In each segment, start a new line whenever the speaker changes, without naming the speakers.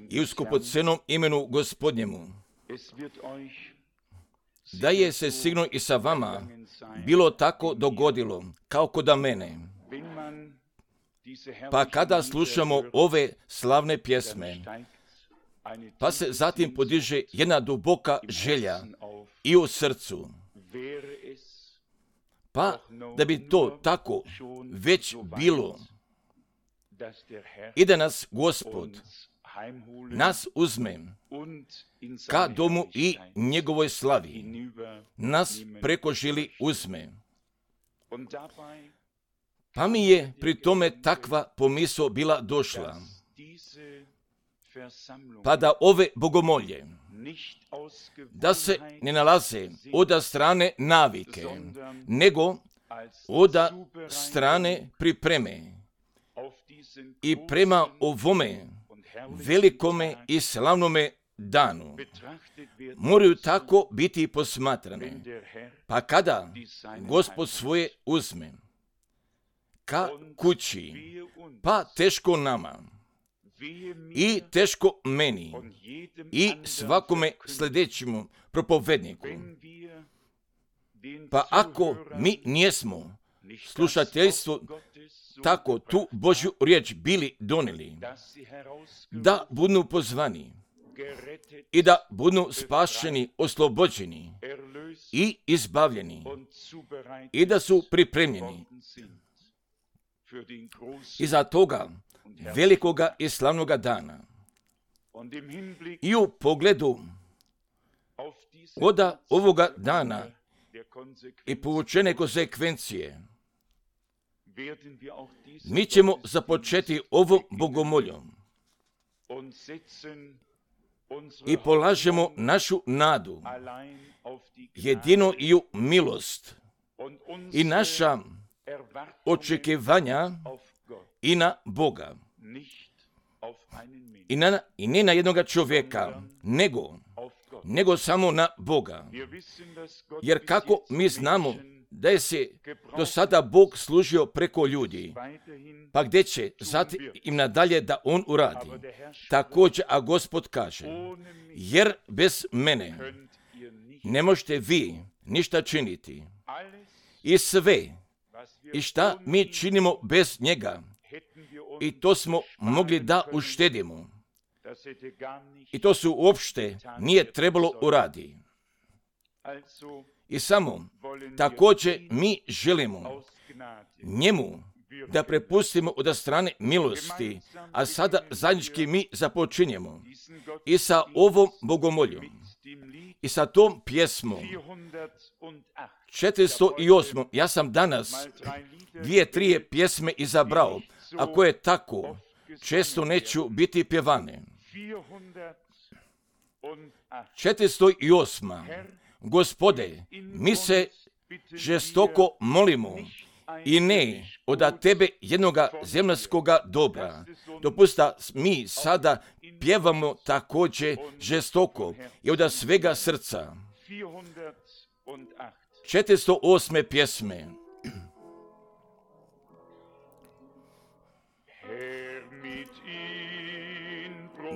i u skupocenom imenu Gospodnjemu. Da je se sigurno i sa vama bilo tako dogodilo, kao kod mene. Pa kada slušamo ove slavne pjesme, pa se zatim podiže jedna duboka želja i u srcu. Pa da bi to tako već bilo i da nas Gospod nas uzme ka domu i njegovoj slavi, nas preko žili uzme. Pa mi je pri tome takva pomisao bila došla, pa da ove bogomolje, da se ne nalaze od strane navike, nego od strane pripreme i prema ovome velikome i slavnome danu moraju tako biti posmatrane. Pa kada Gospod svoje uzme ka kući, pa teško nama i teško meni i svakome sljedećemu propovedniku. Pa ako mi nijesmo slušateljstvo tako tu Božju riječ bili donijeli, da budu pozvani i da budu spašeni, oslobođeni i izbavljeni i da su pripremljeni iza toga velikoga i slavnoga dana. I u pogledu od ovoga dana i povučene konsekvencije, mi ćemo započeti ovom bogomoljom i polažemo našu nadu jedino i u milost i naša očekivanja i na Boga. I ne na jednoga čovjeka, nego samo na Boga. Jer kako mi znamo da je se do sada Bog služio preko ljudi, pa gdje će zatim im nadalje da on uradi. Također, a Gospod kaže, jer bez mene ne možete vi ništa činiti. I sve, i šta mi činimo bez njega, i to smo mogli da uštedimo. I to se uopšte nije trebalo uradi. I samo također mi želimo njemu da prepustimo od strane milosti, a sada zajednički mi započinjemo i sa ovom bogomoljom i sa tom pjesmom 408. Ja sam danas 2-3 pjesme izabrao, a koje tako često neću biti pjevane. 408. Gospode, mi se žestoko molimo i ne od tebe jednoga zemljskoga dobra. Dopusta mi sada pjevamo također žestoko i od svega srca. 408. pjesme.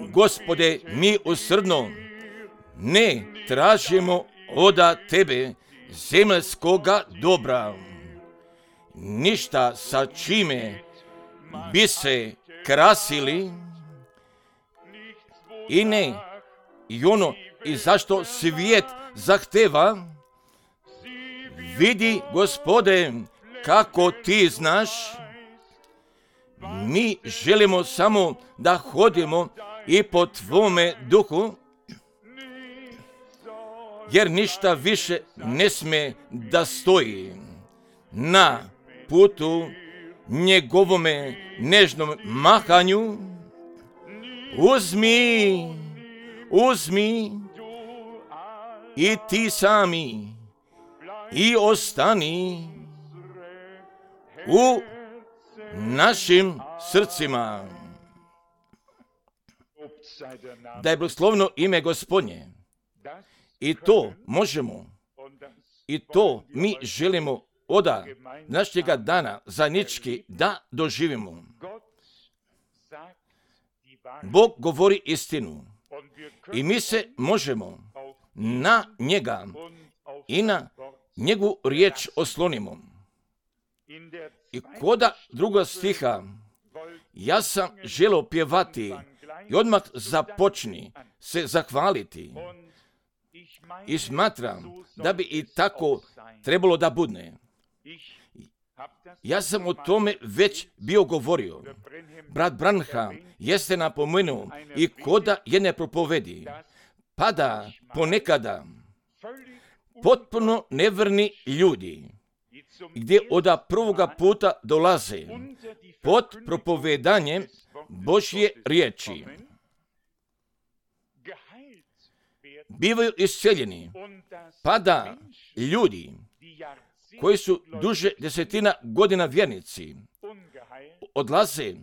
Gospode, mi usrdno ne tražimo od tebe zemljskoga dobra, ništa sa čime bi se krasili i ne i ono i zašto svijet zahteva. Vidi, Gospode, kako ti znaš, mi želimo samo da hodimo i po tvome duhu, jer ništa više ne smije da stoji na putu njegovome nežnom mahanju. Uzmi i ti sami i ostani u našim srcima. Da je blagoslovno ime Gospodnje. I to možemo, i to mi želimo od našega dana zajednički da doživimo. Bog govori istinu i mi se možemo na njega i na njegovu riječ oslonimo. I koda druga stiha, ja sam želio pjevati i odmah započni se zahvaliti i smatram da bi i tako trebalo da bude. Ja sam o tome već bio govorio. Brat Branham jeste napomenuo i koda jedne propovedi, pa da ponekada potpuno nevrni ljudi, gdje od prvoga puta dolaze pod propovedanjem Božje riječi, bivaju isceljeni, pa da ljudi koji su duže desetina godina vjernici odlaze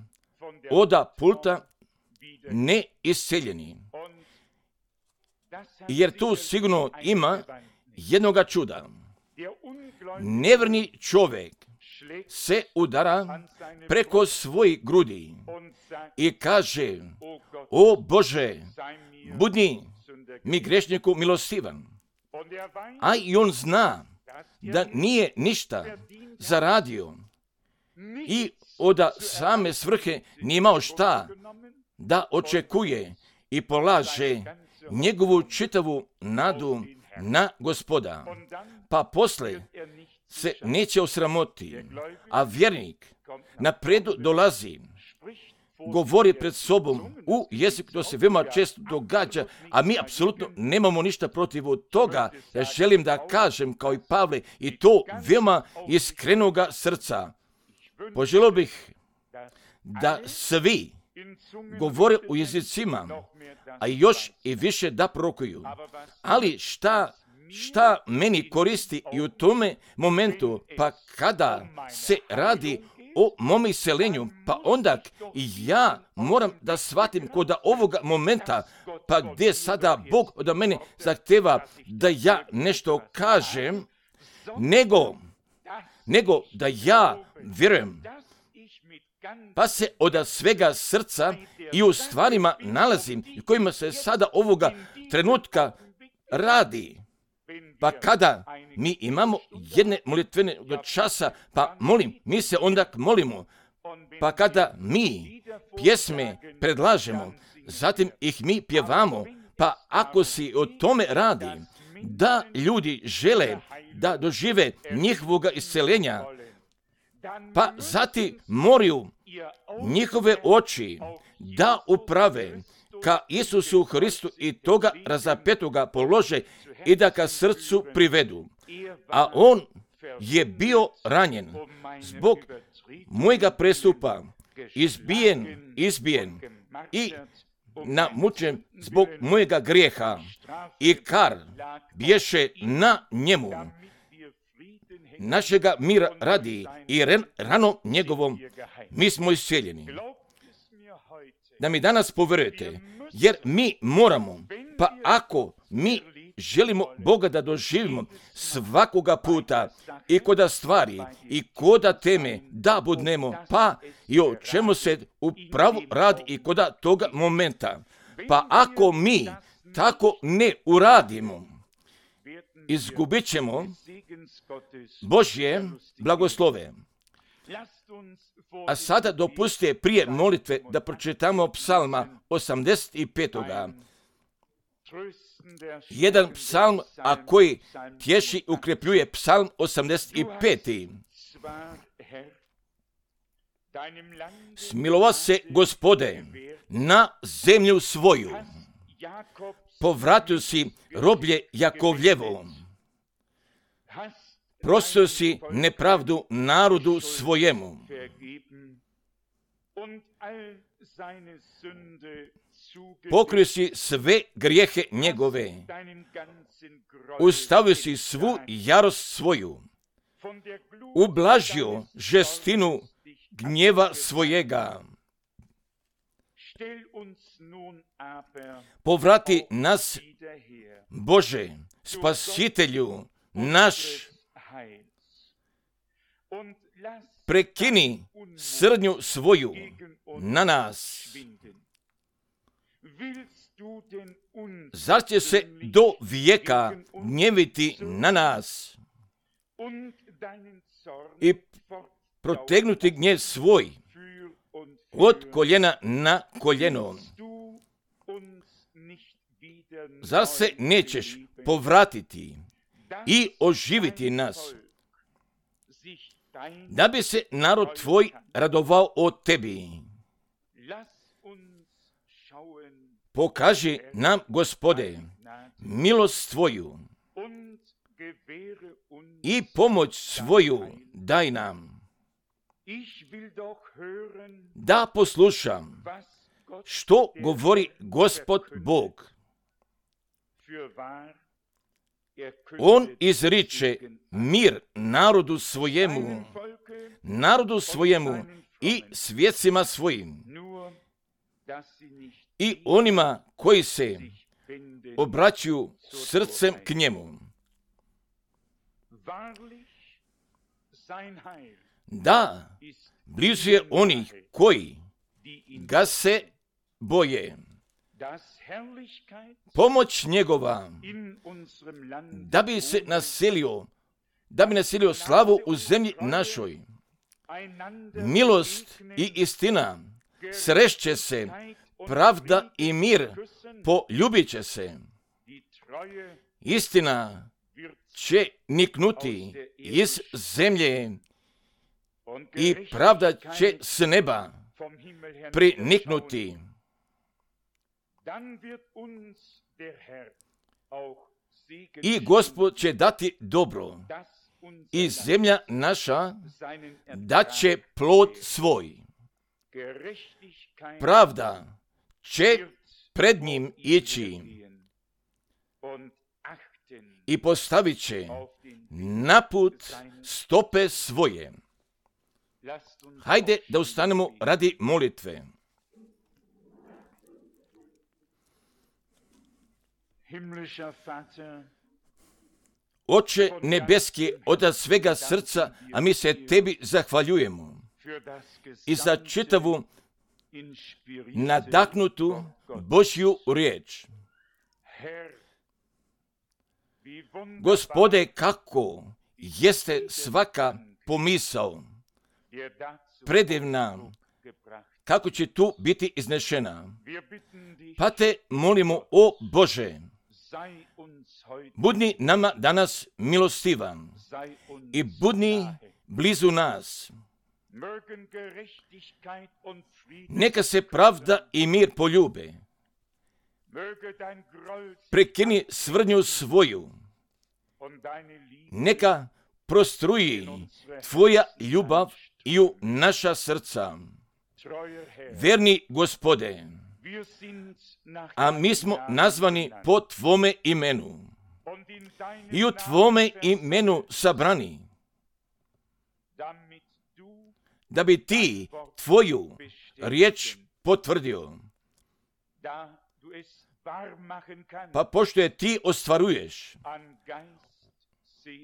od pulta neisceljeni. Jer tu sigurno ima jednoga čuda. Nevrni čovjek se udara preko svojih grudi i kaže: o Bože, budi mi grešniku milostivan. A i on zna da nije ništa zaradio i od same svrhe nije imao šta da očekuje i polaže njegovu čitavu nadu na Gospoda. Pa posle se neće osramoti, a vjernik napredu dolazi, govori pred sobom u jeziku, to se veoma često događa, a mi apsolutno nemamo ništa protiv toga. Ja želim da kažem, kao i Pavle, i to veoma iskrenoga srca. Poželio bih da svi govore u jezicima, a još i više da prorokuju. Ali šta meni koristi i u tome momentu, pa kada se radi o mom iseljenju, pa onda i ja moram da shvatim kod ovoga momenta, pa gdje sada Bog od mene zahteva da ja nešto kažem, nego da ja vjerujem, pa se od svega srca i u stvarima nalazim i kojima se sada ovoga trenutka radi. Pa kada mi imamo jedne molitvene časa, pa mi se onda molimo. Pa kada mi pjesme predlažemo, zatim ih mi pjevamo, pa ako si o tome radi, da ljudi žele da dožive njihovoga isceljenja, pa zatim moraju njihove oči da uprave ka Isusu Hristu i toga razapetoga polože i da ka srcu privedu. A on je bio ranjen zbog mojega prestupa, izbijen i namučen zbog mojega grijeha i kar bješe na njemu. Našega mira radi i ranom njegovom mi smo isceljeni. Da mi danas povjerujete, jer mi moramo, pa ako mi želimo Boga da doživimo svakoga puta i koda stvari i koda teme da budnemo, pa i o čemu se upravo radi i koda toga momenta. Pa ako mi tako ne uradimo, izgubit ćemo Božje blagoslove. A sada dopustite prije molitve da pročitamo psalma 85. Jedan psalm, a koji tješi ukrepljuje psalm 85. Smilovao se Gospode na zemlju svoju, povratio si roblje Jakovljevo, prostio si nepravdu narodu svojemu. Pokrio si sve grijehe njegove, ustavio si svu jarost svoju, ublažio žestinu gnjeva svojega. Povrati nas, Bože, Spasitelju naš, prekini srdnju svoju na nas. Zar će se do vijeka gnjeviti na nas i protegnuti gnjev svoj od koljena na koljeno? Zar se nećeš povratiti i oživiti nas, da bi se narod tvoj radovao o tebi? Pokaži nam, Gospode, milost tvoju i pomoć svoju daj nam, da poslušam što govori Gospod Bog. On izriče mir narodu svojemu i svjecima svojim, i onima koji se obraćaju srcem k njemu. Da, blizu je onih koji ga se boje. Pomoć njegova, da bi naselio slavu u zemlji našoj. Milost i istina srešće se, pravda i mir poljubit će se. Istina će niknuti iz zemlje i pravda će s neba priniknuti. I Gospod će dati dobro i zemlja naša daće plod svoj. Pravda će pred njim ići i postavit će na put stope svoje. Hajde da ustanemo radi molitve. Oče nebeski, od svega srca, a mi se tebi zahvaljujemo i za čitavu nadahnutu Božju riječ. Gospode, kako jeste svaka pomisao predivna, kako će tu biti iznešena. Pa te molimo, o Bože, budni nama danas milostivan i budni blizu nas. Neka se pravda i mir poljube. Prekini svrdnju svoju. Neka prostruji tvoja ljubav i u naša srca. Verni Gospode, a mi smo nazvani po tvome imenu i u tvome imenu sabrani, da bi ti tvoju riječ potvrdio. Pa pošto je ti ostvaruješ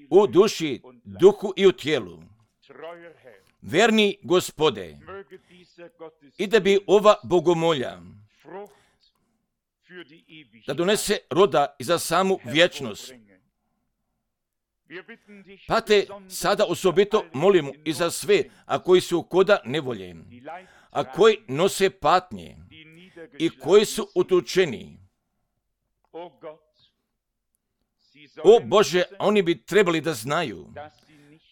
u duši, duhu i u tijelu, verni Gospode, i da bi ova bogomolja da donese roda i za samu vječnost. Pa te sada osobito molimo i za sve, a koji su koda nevolje, a koji nose patnje i koji su utučeni. O Bože, oni bi trebali da znaju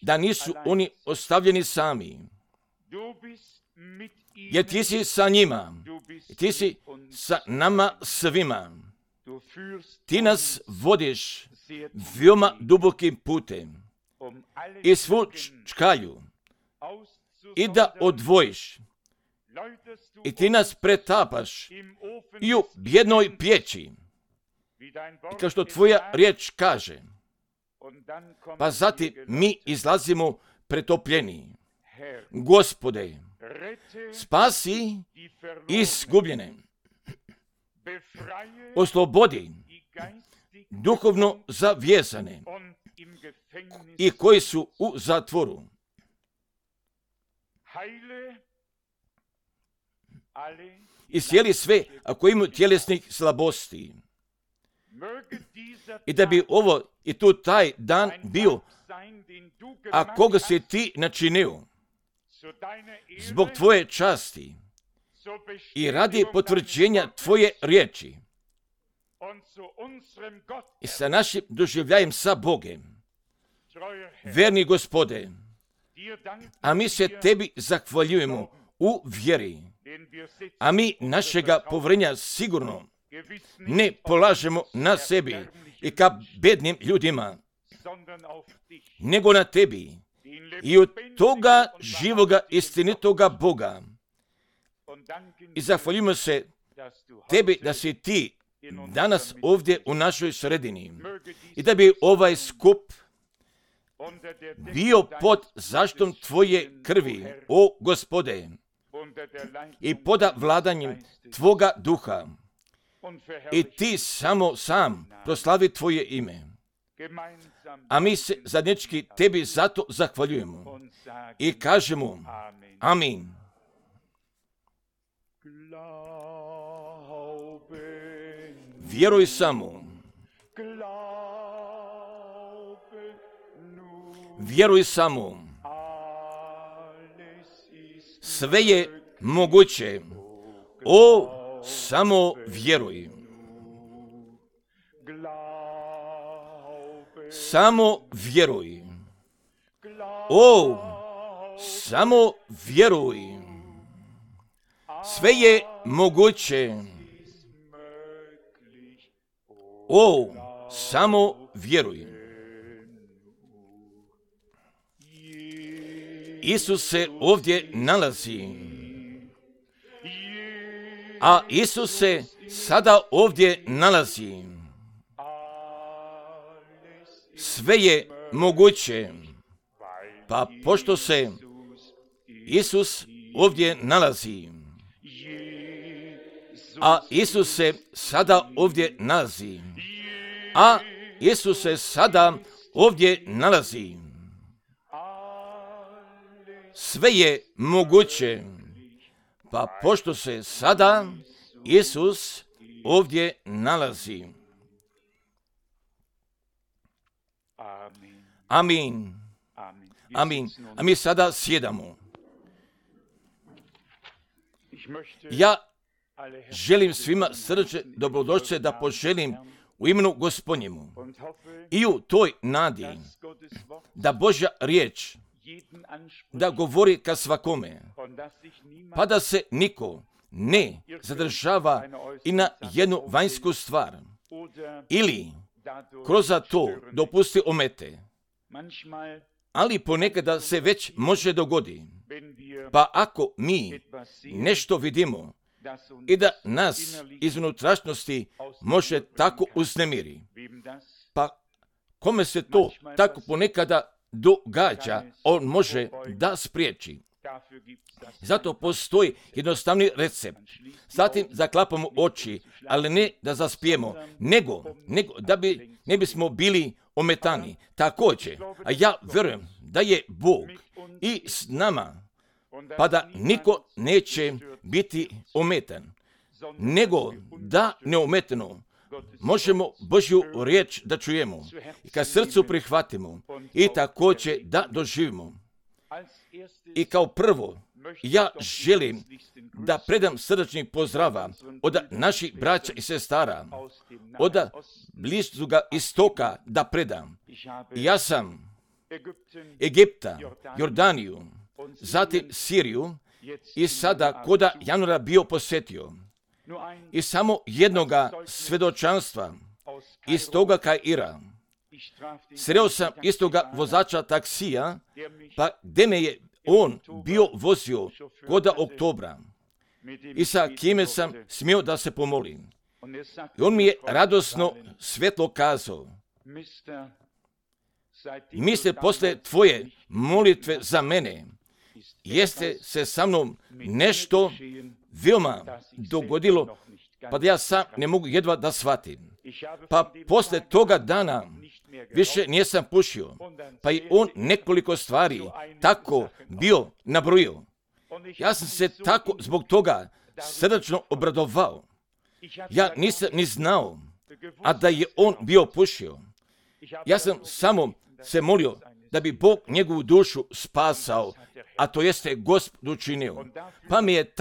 da nisu oni ostavljeni sami, jer ti si sa njima, ti si sa nama svima. Ti nas vodiš veoma dubokim putem i svu čkalju i da odvojiš i ti nas pretapaš i u bjednoj pječi, i kao što tvoja riječ kaže, pa zatim mi izlazimo pretopljeni. Gospode, spasi izgubljene, oslobodi duhovno zavezane i koji su u zatvoru. iscijeli sve ako imaju tjelesnih slabosti. I da bi ovo i tu taj dan bio, a koga si ti načinio, zbog tvoje časti i radi potvrđenja tvoje riječi i sa našim doživljajem sa Bogem. Verni Gospode, a mi se tebi zahvaljujemo u vjeri, a mi našega povjerenja sigurno ne polažemo na sebi i ka bednim ljudima, nego na tebi i od toga živoga istinitoga Boga. I zahvaljujemo se tebi da si ti danas ovdje u našoj sredini i da bi ovaj skup bio pod zaštitom tvoje krvi, o Gospode, i pod vladanjem tvoga duha. I ti samo sam proslavi tvoje ime. A mi se zajednički tebi zato zahvaljujemo i kažemo amin. Vjeruj samo. Vjeruj samo. Sve je moguće. O, samo vjeruj. Samo vjeruj. O, samo vjeruj. Sve je moguće. O, samo vjeruj. Isus se ovdje nalazi. A Isus se sada ovdje nalazi. Sve je moguće. Pa pošto se Isus ovdje nalazi, a Isus se sada ovdje nalazi, a Isus se sada ovdje nalazi, sve je moguće. Pa pošto se sada Isus ovdje nalazi. Amin. Amin. A mi sada sjedamo. Ja želim svima srce dobrodošlice da poželim u imenu Gospodnjemu i u toj nadi da Božja riječ da govori ka svakome, pa da se niko ne zadržava i na jednu vanjsku stvar ili kroz to dopusti omete, ali ponekada se već može dogodi. Pa ako mi nešto vidimo i da nas iz unutrašnjosti može tako uznemiri, pa kome se to tako ponekada događa, on može da spriječi. Zato postoji jednostavni recept. Zatim zaklapamo oči, ali ne da zaspijemo, nego da ne bismo bili ometani. Također, a ja vjerujem da je Bog i s nama, pa da niko neće biti ometan, nego da neometano možemo Božju riječ da čujemo i ka srcu prihvatimo i također da doživimo. I kao prvo, ja želim da predam srdačni pozdrava od naših braća i sestara, od bliskoga istoka da predam. Ja sam Egipta, Jordaniju, zatim Siriju i sada koda januara bio posjetio. I samo jednoga svjedočanstva iz toga Kaira. Sreo sam istoga vozača taksija, pa gdje me je on bio vozio koda oktobra i sa kime sam smio da se pomolim. I on mi je radosno svjetlo kazao: misle posle tvoje molitve za mene, jeste se sa mnom nešto veoma dogodilo, pa da ja sam ne mogu jedva da shvatim. Pa posle toga dana više nisam pušio, pa i on nekoliko stvari tako bio nabrojio. Ja sam se tako zbog toga srdačno obradovao. Ja nisam ni znao, a da je on bio pušio. Ja sam samo se molio da bi Bog njegovu dušu spasao, a to jeste Gospod učinio. Pa mi je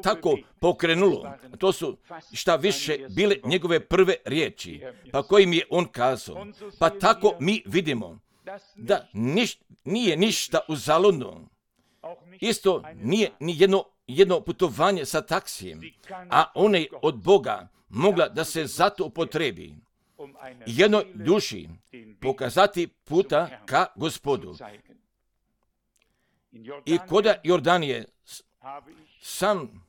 tako pokrenulo. To su šta više bile njegove prve riječi, pa kojim je on kazao. Pa tako mi vidimo da nije ništa uzaludno. Isto nije ni jedno putovanje sa taksijem, a ona je od Boga mogla da se zato upotrebi. Jednoj duši pokazati puta ka Gospodu. I koda Jordanije sam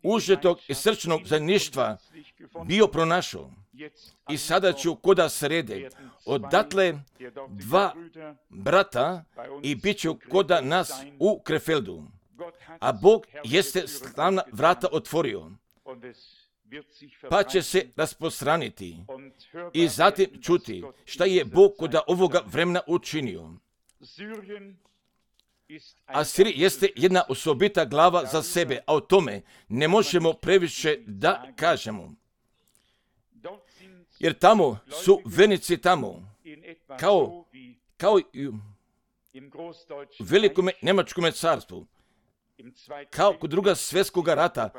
užetog i srčnog zajedništva bio pronašao. I sada ću koda srede odatle 2 brata i bit ću koda nas u Krefeldu. A Bog jeste slavna vrata otvorio, pa će se rasprostraniti i zatim čuti šta je Bog koda ovoga vremena učinio. Asirija jeste jedna osobita glava za sebe, a o tome ne možemo previše da kažemo. Jer tamo su vernici tamo, kao i u velikom Njemačkom carstvu, kao kod Drugog svjetskog rata,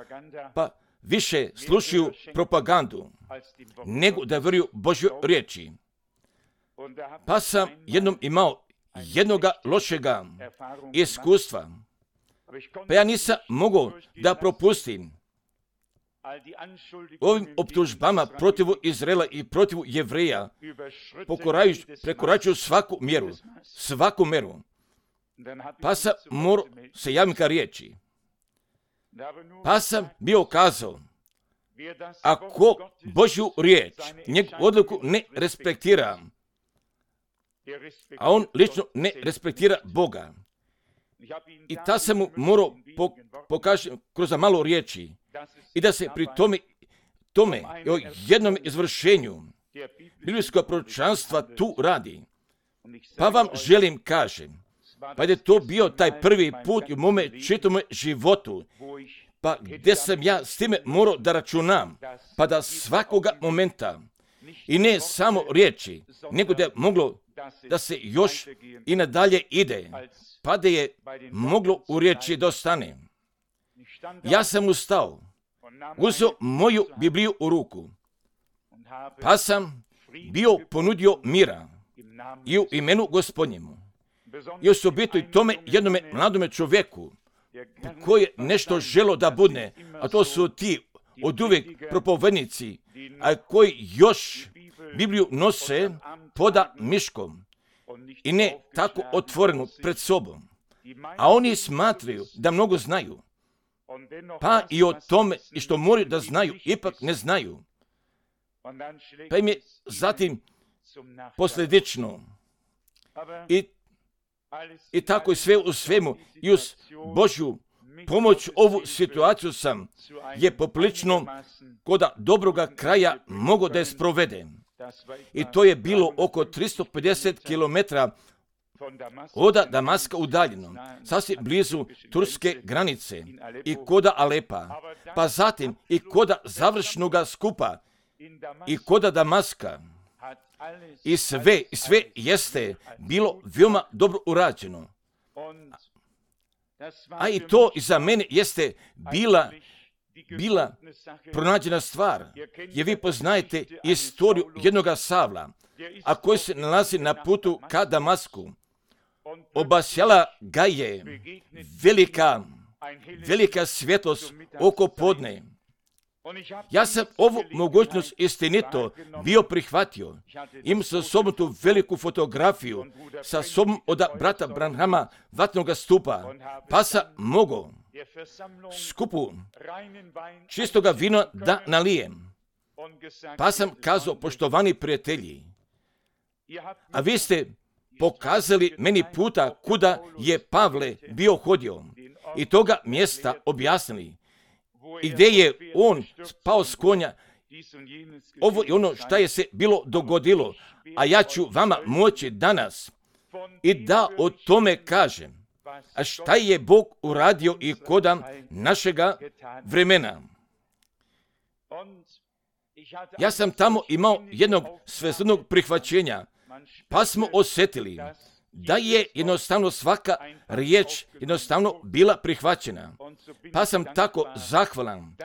pa više slušaju propagandu nego da vjeruju Božjoj riječi. Pa sam jednom imao jednoga lošega iskustva, pa ja nisam mogao da propustim ovim optužbama protiv Izraela i protiv Jevreja, prekoračuju svaku meru. Pa sam morao se javiti ka riječi. Pa sam bio kazao, ako Božju riječ, njegovu odluku ne respektira, a on lično ne respektira Boga. I ta sam mu morao pokazati kroz malo riječi i da se pri tome o jednom izvršenju biblijskog proročanstva tu radi. Pa vam želim kažem, pa je to bio taj prvi put u mome čitome životu, pa gdje sam ja s time morao da računam, pa da svakoga momenta, i ne samo riječi, nego da je moglo da se još i nadalje ide, pa da je moglo u riječi da ostane. Ja sam ustao, uzeo moju Bibliju u ruku, pa sam bio ponudio mira i u imenu Gospodnjemu. I osobito i tome jednome mladome čovjeku koji je nešto želo da bude, a to su ti od uvijek propovednici, a koji još Bibliju nose poda miškom i ne tako otvorenu pred sobom. A oni smatraju da mnogo znaju, pa i o tome i što moraju da znaju, ipak ne znaju. Pa im je zatim posljedično i tako i sve u svemu i uz Božju pomoć ovu situaciju sam je poprilično koda dobroga kraja mogo da je sprovede. I to je bilo oko 350 km od Damaska udaljeno, sasvim blizu turske granice i koda Alepa, pa zatim i koda završnoga skupa i koda Damaska. I sve jeste bilo veoma dobro urađeno. A i to i za mene jeste bila pronađena stvar. Jer vi poznajete istoriju jednoga Savla, a koji se nalazi na putu ka Damasku. Obasjala ga je velika svjetlost oko podne. Ja sam ovu mogućnost istinito bio prihvatio. Imam sa sobom tu veliku fotografiju sa sobom od brata Branhama vatnoga stupa, pa sam mogao skupu čistoga vina da nalijem. Pa sam kazao, poštovani prijatelji, a vi ste pokazali meni puta kuda je Pavle bio hodio i toga mjesta objasnili. I gdje je on spao s konja, ovo je ono šta je se bilo dogodilo, a ja ću vama moći danas i da o tome kažem. A šta je Bog uradio i koda našega vremena? Ja sam tamo imao jednog svestrnog prihvaćenja, pa smo osjetili da je jednostavno svaka riječ jednostavno bila prihvaćena. Pa sam tako zahvalan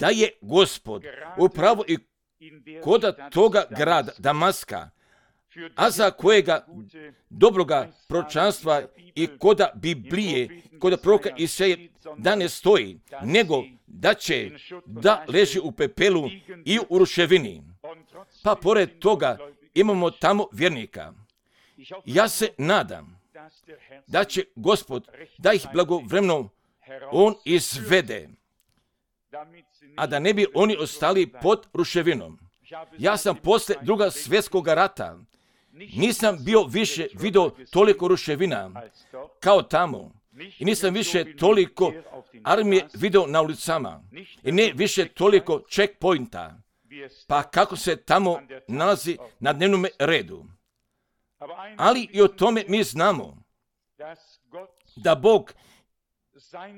da je Gospod upravo i koda toga grada Damaska, a za kojega dobroga proročanstva i koda Biblije, koda proroka Isaije da ne stoji, nego da će da leži u pepelu i u ruševini. Pa pored toga imamo tamo vjernika. Ja se nadam da će Gospod da ih blagovremeno on izvede, a da ne bi oni ostali pod ruševinom. Ja sam posle Drugog svjetskog rata nisam bio više vidio toliko ruševina kao tamo i nisam više toliko armije vidio na ulicama i ne više toliko checkpointa, pa kako se tamo nalazi na dnevnom redu. Ali i o tome mi znamo da Bog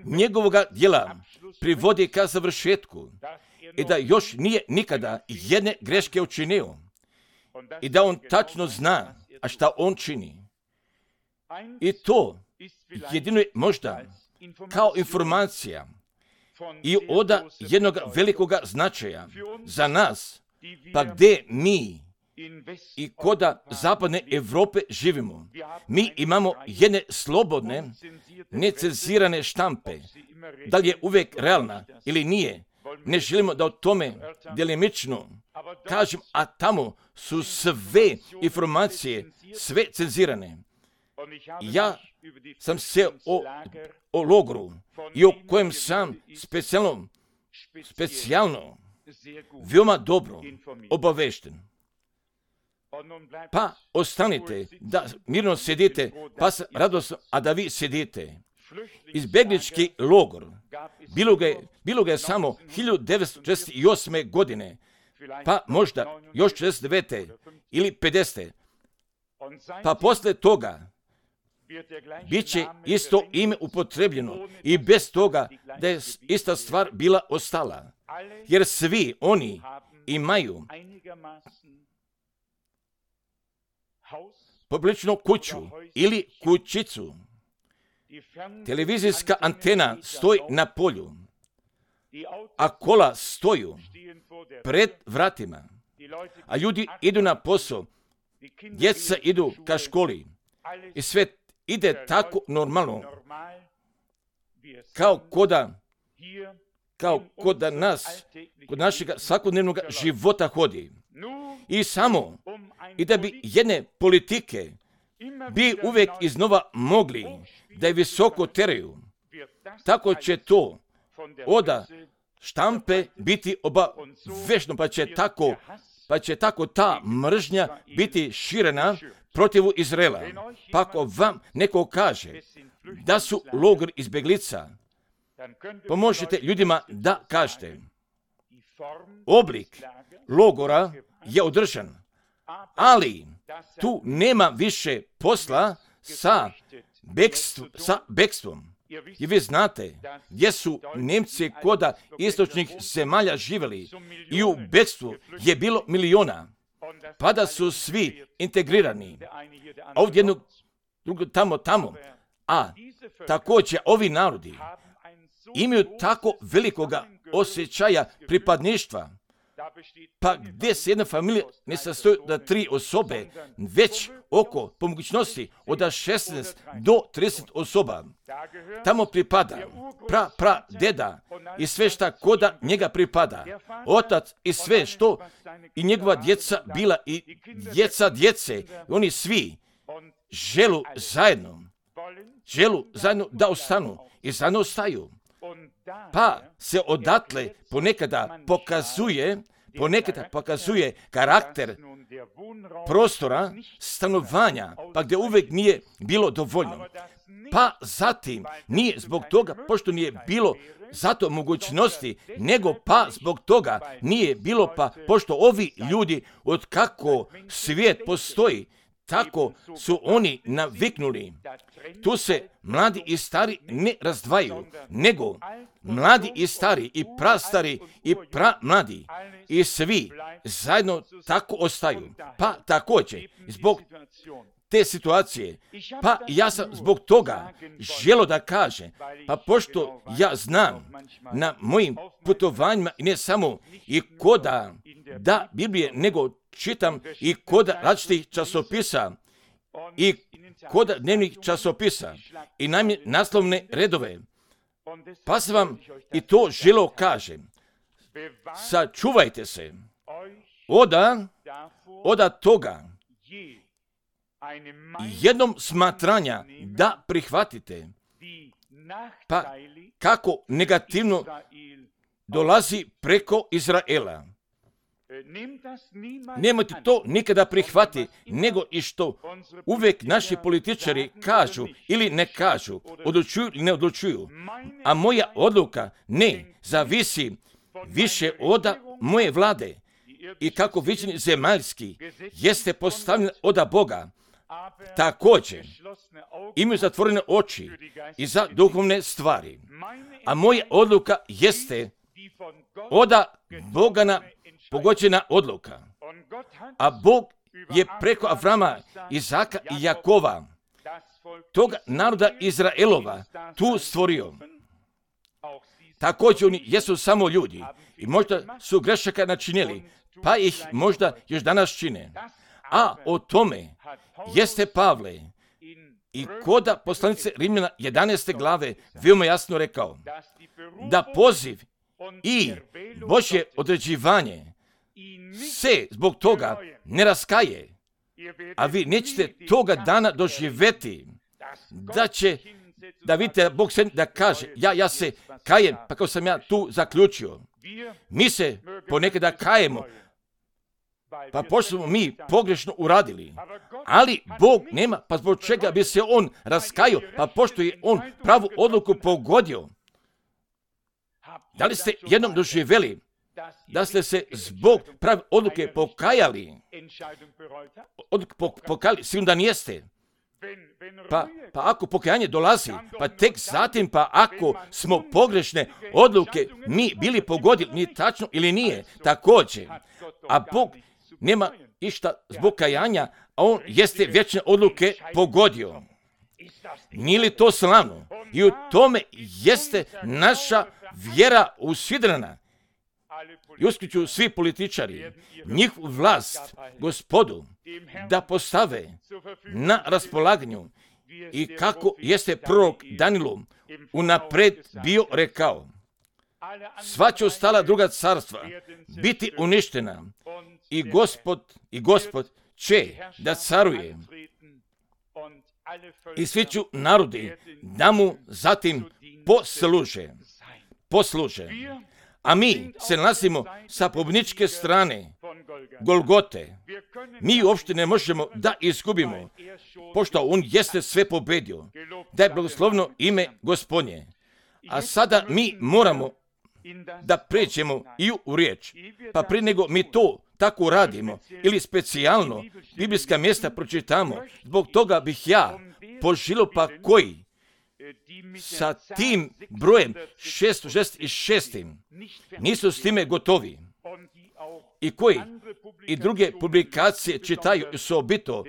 njegovoga djela privodi ka završetku i da još nije nikada jedne greške učinio i da on tačno zna a šta on čini. I to jedino je možda kao informacija i od jednog velikoga značaja za nas, pa gdje mi i koda zapadne Europe živimo. Mi imamo jedne slobodne, necenzirane štampe. Da li je uvijek realna ili nije, ne želimo da o tome delimično kažem, a tamo su sve informacije, sve cenzirane. Ja sam se o logoru i o kojem sam specijalno veoma dobro obavešten. Pa ostanite da mirno sjedite, pa radosno, a da vi sjedite. Izbjeglički logor, bilo ga je samo 1948. godine, pa možda još 49. ili 50. Pa posle toga bit će isto ime upotrebljeno i bez toga da je ista stvar bila ostala. Jer svi oni imaju poprilično kuću ili kućicu. Televizijska antena stoji na polju, a kola stoju pred vratima, a ljudi idu na posao, djeca idu ka školi i sve ide tako normalno kao kod nas, kod našeg svakodnevnog života hodi. I samo i da bi jedne politike bi uvijek iznova mogli da je visoko teraju, tako će to od štampe biti obavešno, pa će tako ta mržnja biti širena protiv Izraela. Pa ako vam neko kaže da su logor izbjeglica, pomožete ljudima da kažete. Oblik logora je održan, ali tu nema više posla sa bekstvom. I vi znate gdje su Nemci koda istočnih zemalja živjeli i u bekstvu je bilo miliona, pa da su svi integrirani. A ovdje jednog drugo tamo. A također ovi narodi imaju tako velikoga osjećaja pripadništva, pa gdje se jedna familija ne sastoji da 3 osobe, već oko, po mogućnosti, od 16 do 30 osoba. Tamo pripada deda i sve šta koda njega pripada. Otac i sve što i njegova djeca bila i djece. Oni svi želu zajedno da ostanu i zajedno ostaju. Pa se odatle ponekada pokazuje karakter prostora stanovanja, pa gdje uvijek nije bilo dovoljno. Pa zatim nije zbog toga, pošto nije bilo zato mogućnosti, nego pa zbog toga nije bilo, pa pošto ovi ljudi od kako svijet postoji tako su oni naviknuli. Tu se mladi i stari ne razdvajaju, nego mladi i stari i prastari i pramladi i svi zajedno tako ostaju. Pa također, zbog te situacije, pa ja sam zbog toga želio da kažem, pa pošto ja znam na mojim putovanjima i ne samo i koda da Biblije, nego čitam i koda različitih časopisa i koda dnevnih časopisa i naslovne redove, pa sam vam i to želio kažem. Sačuvajte se oda toga jednom smatranja da prihvatite, pa kako negativno dolazi preko Izraela. Nemojte to nikada prihvati, nego i što uvijek naši političari kažu ili ne kažu, odlučuju ili ne odlučuju. A moja odluka ne zavisi više od moje vlade i kako viđenje zemaljski jeste postavljeno od Boga. Također imaju zatvorene oči i za duhovne stvari. A moja odluka jeste od Bogana pogođena odluka. A Bog je preko Avrama, Izaka i Jakova, toga naroda Izraelova, tu stvorio. Također oni jesu samo ljudi i možda su grešaka načinili, pa ih možda još danas čine. A o tome jeste Pavle i koda poslanice Rimljana 11. glave veoma jasno rekao, da poziv i Božje određivanje se zbog toga ne raskaje, a vi nećete toga dana doživjeti, da vidite Bog se da kaže, ja se kajem, pa kao sam ja tu zaključio. Mi se ponekada kajemo, pa pošto smo mi pogrešno uradili, ali Bog nema, pa zbog čega bi se on raskajao, pa pošto je on pravu odluku pogodio. Da li ste jednom doživjeli da ste se zbog prave odluke pokajali? Pokajali, sigurno da nijeste. Pa ako pokajanje dolazi, pa tek zatim, pa ako smo pogrešne odluke mi bili pogodili, nije tačno ili nije, također. A Bog nema išta zbog kajanja, a on jeste vječne odluke pogodio. Nije li to slavno? I u tome jeste naša vjera usidrena. I uskliču svi političari, njihovu vlast, Gospodu, da postave na raspolaganju i kako jeste prorok Danilu unapred bio rekao. Sva će ostala druga carstva biti uništena i Gospod će da caruje. I svi ću narodi da mu zatim posluže. A mi se nalazimo sa pobjedničke strane Golgote. Mi uopšte ne možemo da izgubimo, pošto on jeste sve pobedio. Da je blagoslovno ime Gospodnje. A sada mi moramo da pređemo i u riječ. Pa prije nego mi to tako radimo ili specijalno biblijska mjesta pročitamo, zbog toga bih ja poželio pa koji sa tim brojem 666 nisu s time gotovi i koji i druge publikacije čitaju osobito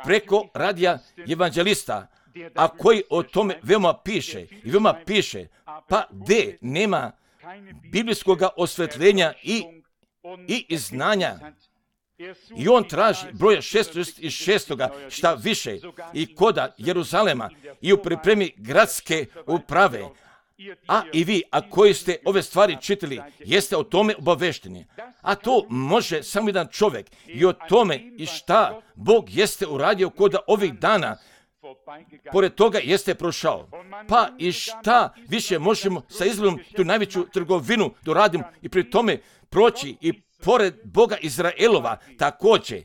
preko radija evanđelista, a koji o tome veoma piše, pa gdje nema biblijskog osvetljenja i znanja. I on traži broja 666. šta više i koda Jeruzalema i u pripremi gradske uprave. A i vi, a koji ste ove stvari čitali, jeste o tome obavešteni. A to može samo jedan čovjek i o tome i šta Bog jeste uradio koda ovih dana, pored toga jeste prošao. Pa i šta više možemo sa Izraelom tu najveću trgovinu doradimo i pri tome proći i pored Boga Izraelova također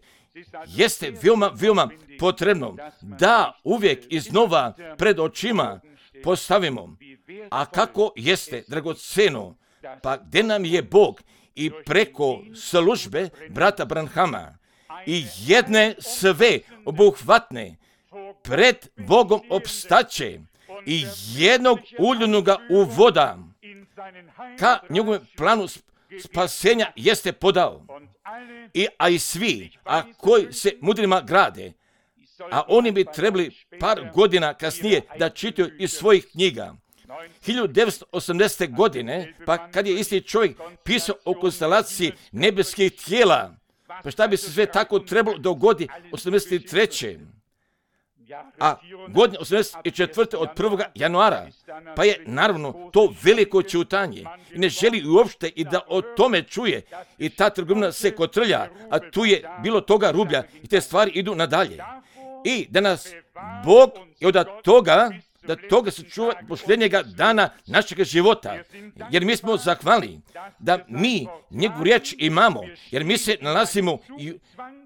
jeste veoma potrebno da uvijek iznova pred očima postavimo. A kako jeste dragoceno, pa gdje nam je Bog i preko službe brata Branhama i jedne sve obuhvatne pred Bogom opstaće i jednog uljenoga u voda ka njegovom planu spasenja jeste podao. A i svi, a koji se mudrima grade, a oni bi trebali par godina kasnije da čitaju iz svojih knjiga. 1980. godine, pa kad je isti čovjek pisao o konstelaciji nebeskih tijela, pa šta bi se sve tako trebalo dogodi 83. A godine 84. od 1. januara, pa je naravno to veliko ćutanje i ne želi uopšte i da o tome čuje i ta trgovina se kotrlja, a tu je bilo toga rublja i te stvari idu nadalje. I da nas Bog i od toga se čuva posljednjega dana našeg života, jer mi smo zahvalni da mi njegovu riječ imamo, jer mi se nalazimo i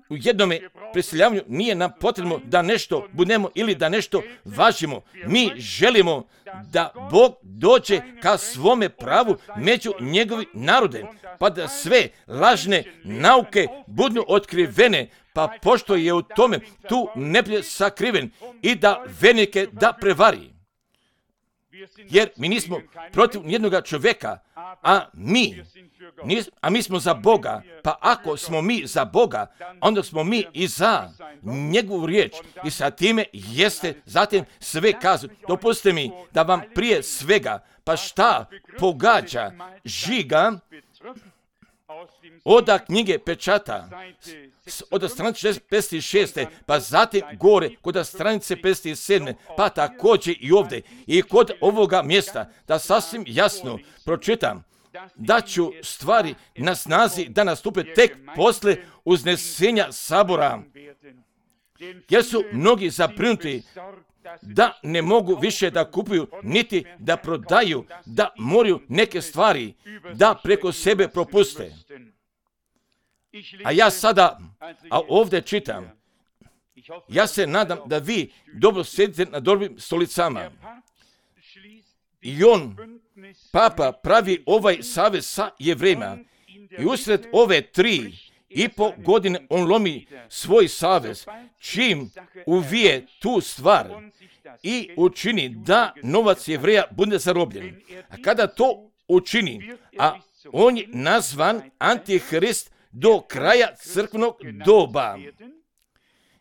u jednome preseljavanju nije nam potrebno da nešto budemo ili da nešto važimo. Mi želimo da Bog dođe ka svome pravu među njegovi narode, pa da sve lažne nauke budu otkrivene, pa pošto je u tome tu neprijatelj sakriven i da vernike da prevari. Jer mi nismo protiv nijednoga čovjeka, a mi smo za Boga, pa ako smo mi za Boga, onda smo mi i za njegovu riječ i sa time jeste zatim sve kazu. Dopustite mi da vam prije svega, pa šta pogađa žiga od knjige pečata, od stranice 56. pa zatim gore kod stranice 57. pa također i ovdje i kod ovoga mjesta, da sasvim jasno pročitam, da ću stvari na snazi da nastupe tek posle uznesenja sabora, jer su mnogi zabrinuti da ne mogu više da kupuju, niti da prodaju, da moraju neke stvari da preko sebe propuste. A ja sada, ovdje čitam, ja se nadam da vi dobro sjedite na dobrim stolicama. I Papa pravi ovaj savez sa Jevrejima i usred ove 3,5 godine on lomi svoj savez, čim uvije tu stvar i učini da novac Jevreja bude zarobljen. A kada to učini, a on je nazvan Antihrist do kraja crkvenog doba,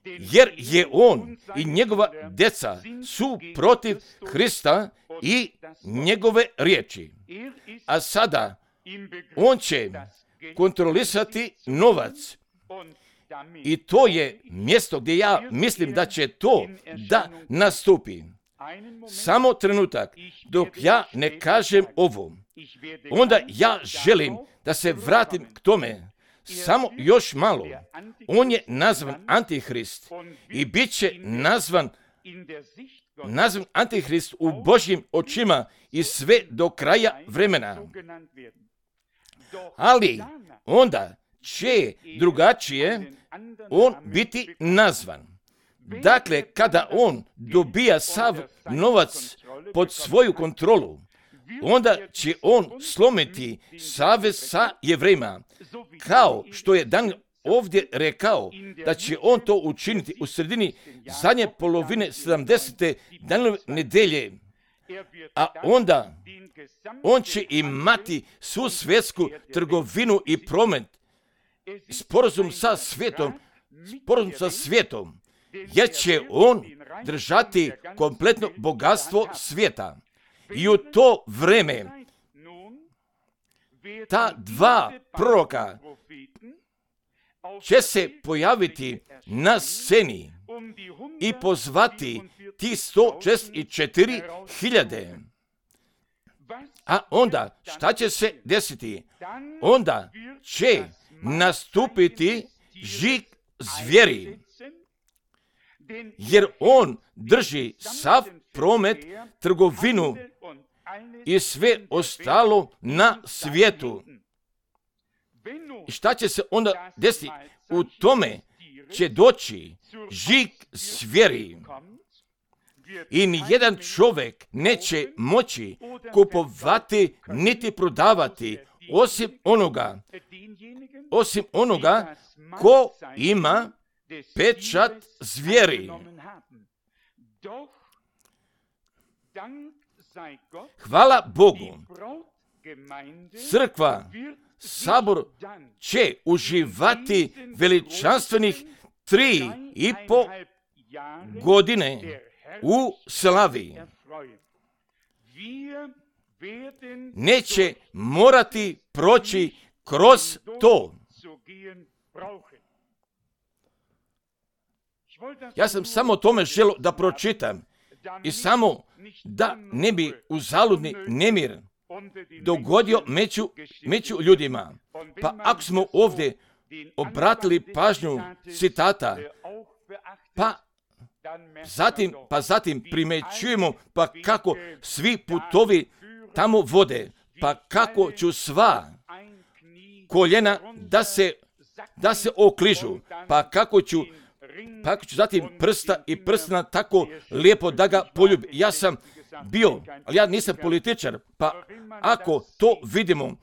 jer je on i njegova djeca su protiv Hrista i njegove riječi. A sada on će kontrolisati novac i to je mjesto gdje ja mislim da će to da nastupi. Samo trenutak, dok ja ne kažem ovo, onda ja želim da se vratim k tome. Samo još malo. On je nazvan Antihrist i bit će nazvan Antihrist u Božjim očima i sve do kraja vremena. Ali onda će drugačije on biti nazvan. Dakle, kada on dobija sav novac pod svoju kontrolu, onda će on slomiti savez sa Jevrejima, kao što je Dan ovdje rekao da će on to učiniti u sredini zadnje polovine 70. Danove nedelje, a onda on će imati svu svjetsku trgovinu i promet, sporazum sa svijetom, jer će on držati kompletno bogatstvo svijeta. I u to vreme ta dva proroka će se pojaviti na sceni i pozvati ti 164.000. A onda šta će se desiti? Onda će nastupiti žig zvijeri, jer on drži sav promet, trgovinu i sve ostalo na svijetu. I šta će se onda desiti? U tome će doći žig zvijeri i nijedan čovjek neće moći kupovati niti prodavati osim onoga ko ima pečat zvijeri. Hvala Bogu, crkva, sabor će uživati veličanstvenih 3,5 godine u slavi. Neće morati proći kroz to. Ja sam samo tome želio da pročitam i samo da ne bi uzaludni nemir dogodio među ljudima. Pa ako smo ovdje obratili pažnju citata, pa zatim primećujemo pa kako svi putovi tamo vode, pa kako ću sva koljena da se okližu, pa kako ću zatim prsta i prstena tako lijepo da ga poljubi. Ja sam bio, ali ja nisam političar, pa ako to vidimo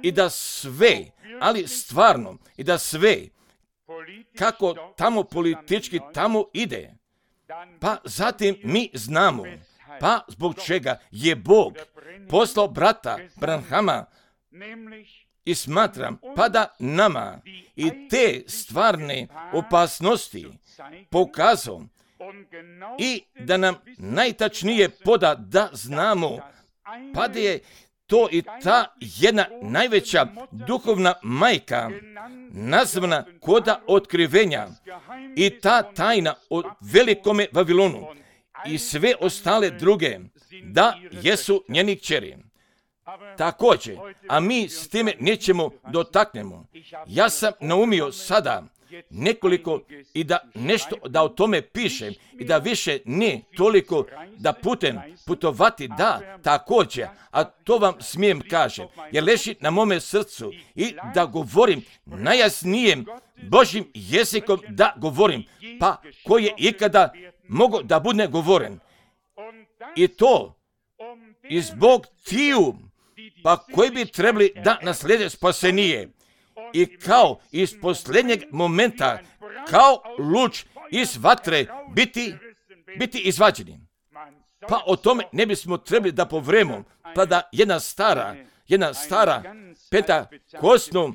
i da sve, ali stvarno, i da sve, kako tamo politički tamo ide, pa zatim mi znamo, pa zbog čega je Bog poslao brata Branhama i smatram, pa da nama i te stvarne opasnosti pokazao i da nam najtačnije poda da znamo, pa da je to i ta jedna najveća duhovna majka nazvana koda otkrivenja i ta tajna o velikome Vavilonu i sve ostale druge, da jesu njeni kćeri. Također, a mi s time nećemo dotaknemo. Ja sam naumio sada nekoliko i da nešto da o tome pišem i da više ne toliko da putovati, da također, a to vam smijem kažem, jer leži na mome srcu i da govorim najjasnijim Božjim jezikom da govorim, pa koji je ikada mogao da bude govoren. I to i zbog tiju, pa koji bi trebali da naslijede spasenije. I kao iz posljednjeg momenta, kao luč iz vatre biti izvađeni. Pa o tome ne bismo trebali da povremo, pa da jedna stara pentakostna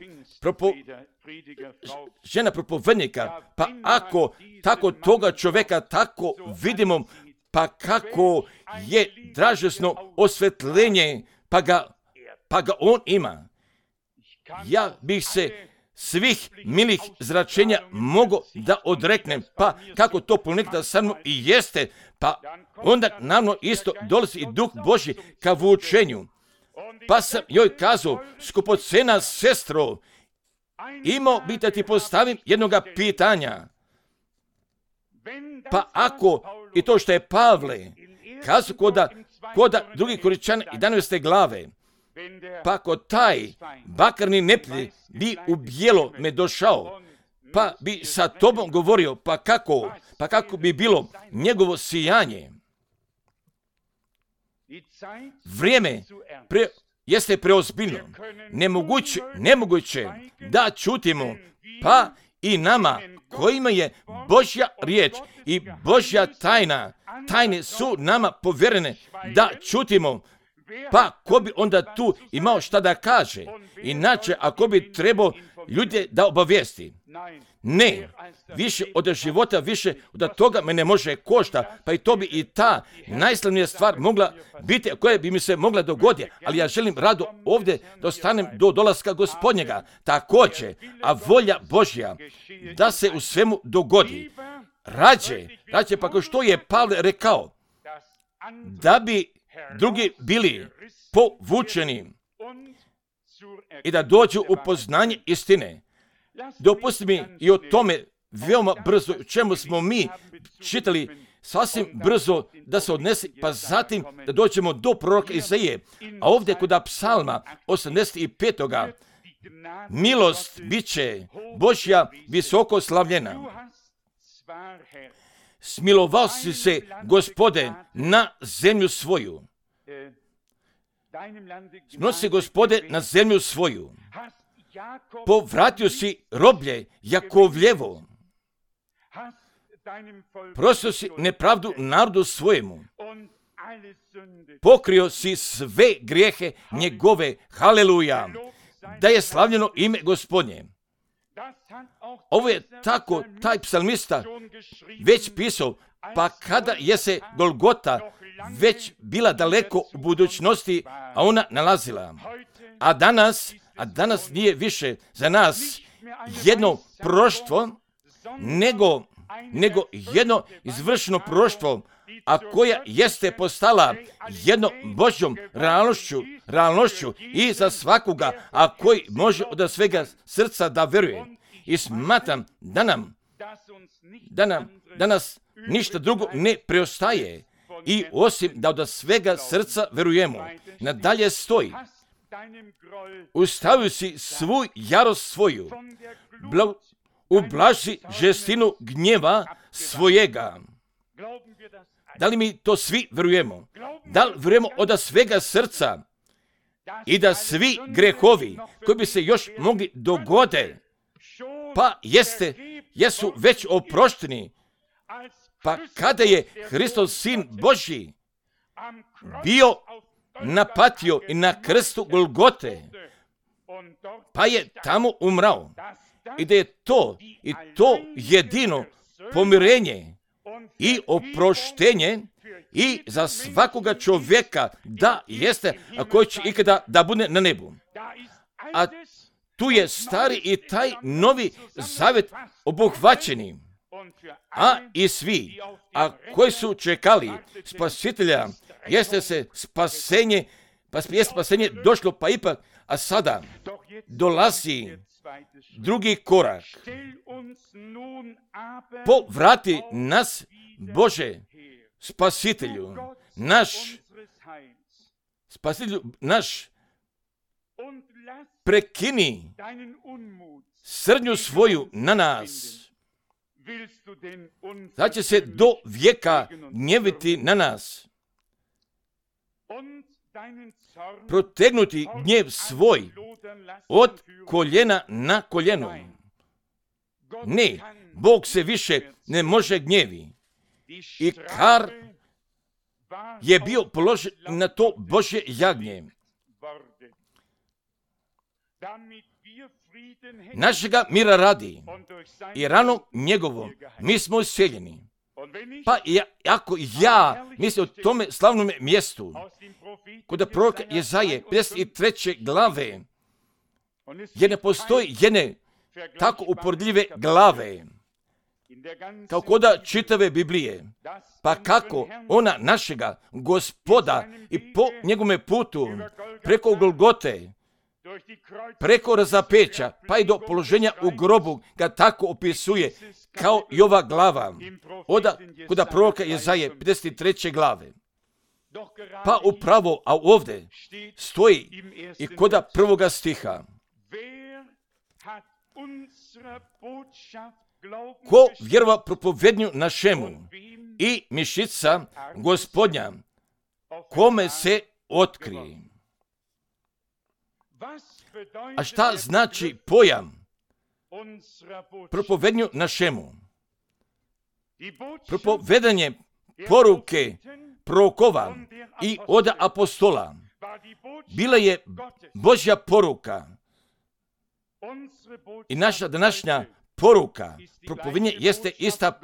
žena propovednika, pa ako tako toga čovjeka tako vidimo, pa kako je dražesno osvetljenje, pa ga on ima. Ja bih se svih milih zračenja mogao da odreknem, pa kako to ponekada sa mnom i jeste, pa onda naravno isto dolazi i Duh Božji ka vučenju. Pa sam joj kazao, skupocena sestro, imao bi da ti postavim jednoga pitanja. Pa ako i to što je Pavle kazao koda drugi Korinčana i 11. glave, pa ako taj bakarni neprijatelj bi u bijelo me došao, pa bi sa tobom govorio, pa kako bi bilo njegovo sijanje. Vrijeme jeste preozbiljno, nemoguće da čutimo, pa i nama kojima je Božja riječ i Božja tajne su nama povjerene da čutimo. Pa ko bi onda tu imao šta da kaže? Inače, ako bi trebao ljude da obavijesti. Ne, više od života, više od toga me ne može košta, pa i to bi i ta najslavnija stvar mogla biti, koja bi mi se mogla dogoditi, ali ja želim rado ovdje da ostanem do dolaska Gospodnjega. Također, a volja Božja da se u svemu dogodi. Rađe, pa kao što je Pavle rekao, da bi drugi bili povučeni i da dođu u poznanje istine. Dopusti mi i o tome veoma brzo, o čemu smo mi čitali sasvim brzo da se odnese, pa zatim da dođemo do proroka Izaije. A ovdje kod psalma 85. milost bit će Božja visoko slavljena. Smilovao si se, Gospode, na zemlju svoju. Smilovao si, Gospode, na zemlju svoju. povratio si roblje Jakovljevo, prostio si nepravdu narodu svojemu, pokrio si sve grijehe njegove, haleluja, da je slavljeno ime Gospodnje. Ovo je tako taj psalmista već pisao, pa kada je se Golgota već bila daleko u budućnosti, a ona nalazila. A danas nije više za nas jedno proroštvo, nego jedno izvršeno proroštvo, a koja jeste postala jednom Božjom realnošću i za svakoga, a koji može od svega srca da veruje. I smatram da nas ništa drugo ne preostaje i osim da od svega srca verujemo. Nadalje stoji, ustavio si svu jarost svoju, ublaži žestinu gnjeva svojega. Da li mi to svi verujemo? Da li verujemo od svega srca i da svi grehovi koji bi se još mogli dogode, pa jesu već oprošteni, pa kada je Hristos Sin Božji bio napatio i na krstu Golgote, pa je tamo umrao, i da je to jedino pomirenje i oproštenje i za svakoga čovjeka da jeste, a koji će ikada da bude na nebu. A tu je stari i taj novi zavjet obuhvaćeni, a i svi, a koji su čekali spasitelja, jeste spasenje došlo, pa ipak, a sada dolazi drugi korak. Povrati nas, Bože, spasitelju, naš, prekini srdnju svoju na nas. Da će se do vijeka gnjeviti na nas, protegnuti gnjev svoj od koljena na koljeno. Ne, Bog se više ne može gnjevi. I kar je bio položen na to Božje jagnje. Našega mira radi i ranom njegovom mi smo useljeni. Pa ako ja mislim o tome slavnom mjestu, kod proroka Jezaje 53. glave, jer ne postoji jedne tako upordljive glave, kao koda čitave Biblije, pa kako ona našega Gospoda i po njegome putu, preko Golgote, preko razapeća, pa i do položenja u grobu, ga tako opisuje kao i ova glava, kod proroka Jezaje 53. glave. Pa upravo, a ovdje stoji i kod prvoga stiha. Ko vjerova propovednju našemu i mišica Gospodnja, kome se otkrije. A šta znači pojam propovednju našemu? Propovedanje poruke prorokova i od apostola bila je Božja poruka. I naša današnja poruka, propovedanje, jeste ista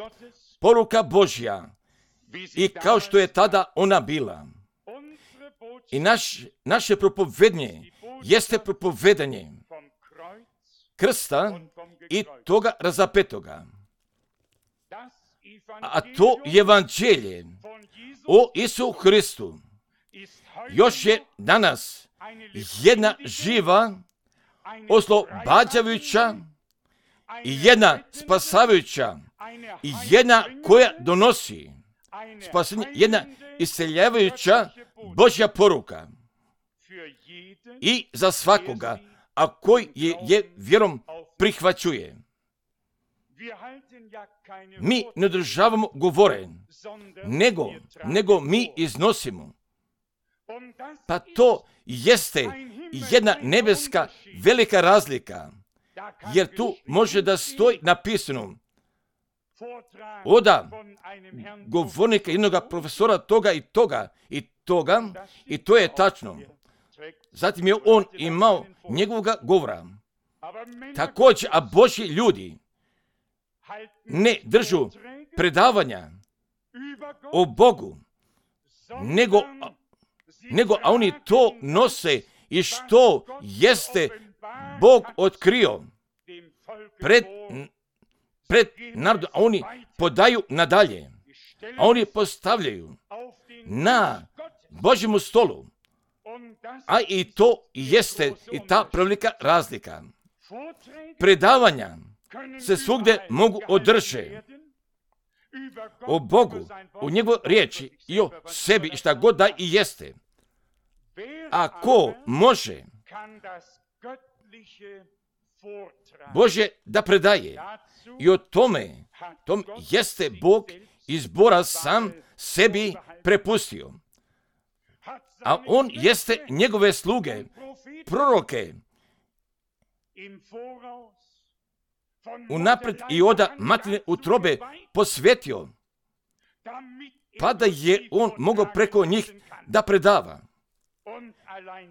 poruka Božja. I kao što je tada ona bila. I naše propovedanje jeste propovedanje krsta i toga razapetoga. A to evanđelje o Isu Hristu još je danas jedna živa, oslobađajuća i jedna spasavajuća i jedna koja donosi spasenje, jedna isceljavajuća Božja poruka i za svakoga, a koji je vjerom prihvaćuje. Mi ne održavamo govore, nego mi iznosimo. Pa to jeste jedna nebeska velika razlika, jer tu može da stoji napisano oda govornika jednog profesora toga i toga i toga, i to je tačno. Zatim je on imao njegovoga govora. Također, a Božji ljudi ne držu predavanja o Bogu, nego oni to nose i što jeste Bog otkrio pred narodom, a oni podaju nadalje, a oni postavljaju na Božjemu stolu, a i to jeste i ta prevelika razlika. Predavanja se svugdje mogu održati o Bogu, o njegovoj riječi i o sebi i šta god da i jeste. A ko može Bože da predaje i o tome jeste Bog izbora sam sebi prepustio. A on jeste njegove sluge, proroke, unaprijed i oda materine utrobe posvetio, pa da je on mogao preko njih da predava.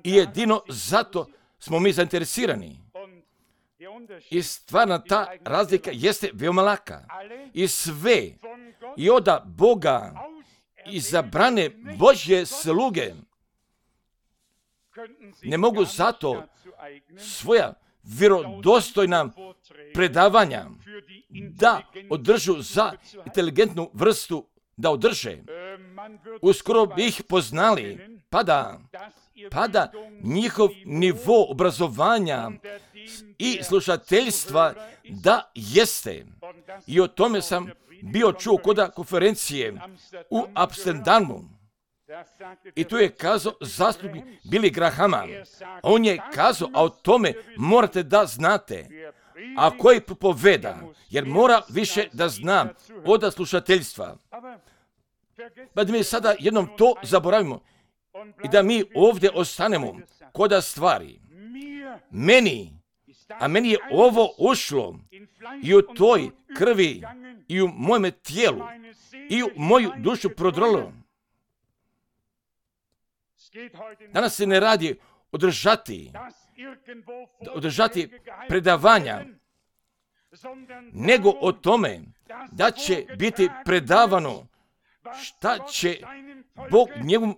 I jedino zato smo mi zainteresirani. I stvarno ta razlika jeste veoma laka. I sve i oda Boga izabrane Božje sluge ne mogu zato svoja vjerodostojna predavanja da održu za inteligentnu vrstu da održe. Uskoro bi ih poznali, pa da njihov nivo obrazovanja i slušateljstva da jeste. I o tome sam bio čuo kod konferencije u Amsterdamu. I tu je kazao zastupnik Billy Grahama. On je kazao, a o tome morate da znate. A koji propoveda, jer mora više da zna od slušateljstva. Pa da mi sada jednom to zaboravimo i da mi ovdje ostanemo kod stvari. Meni je ovo ušlo i u toj krvi i u mojem tijelu i u moju dušu prodrlo. Danas se ne radi održati predavanja, nego o tome da će biti predavano šta će Bog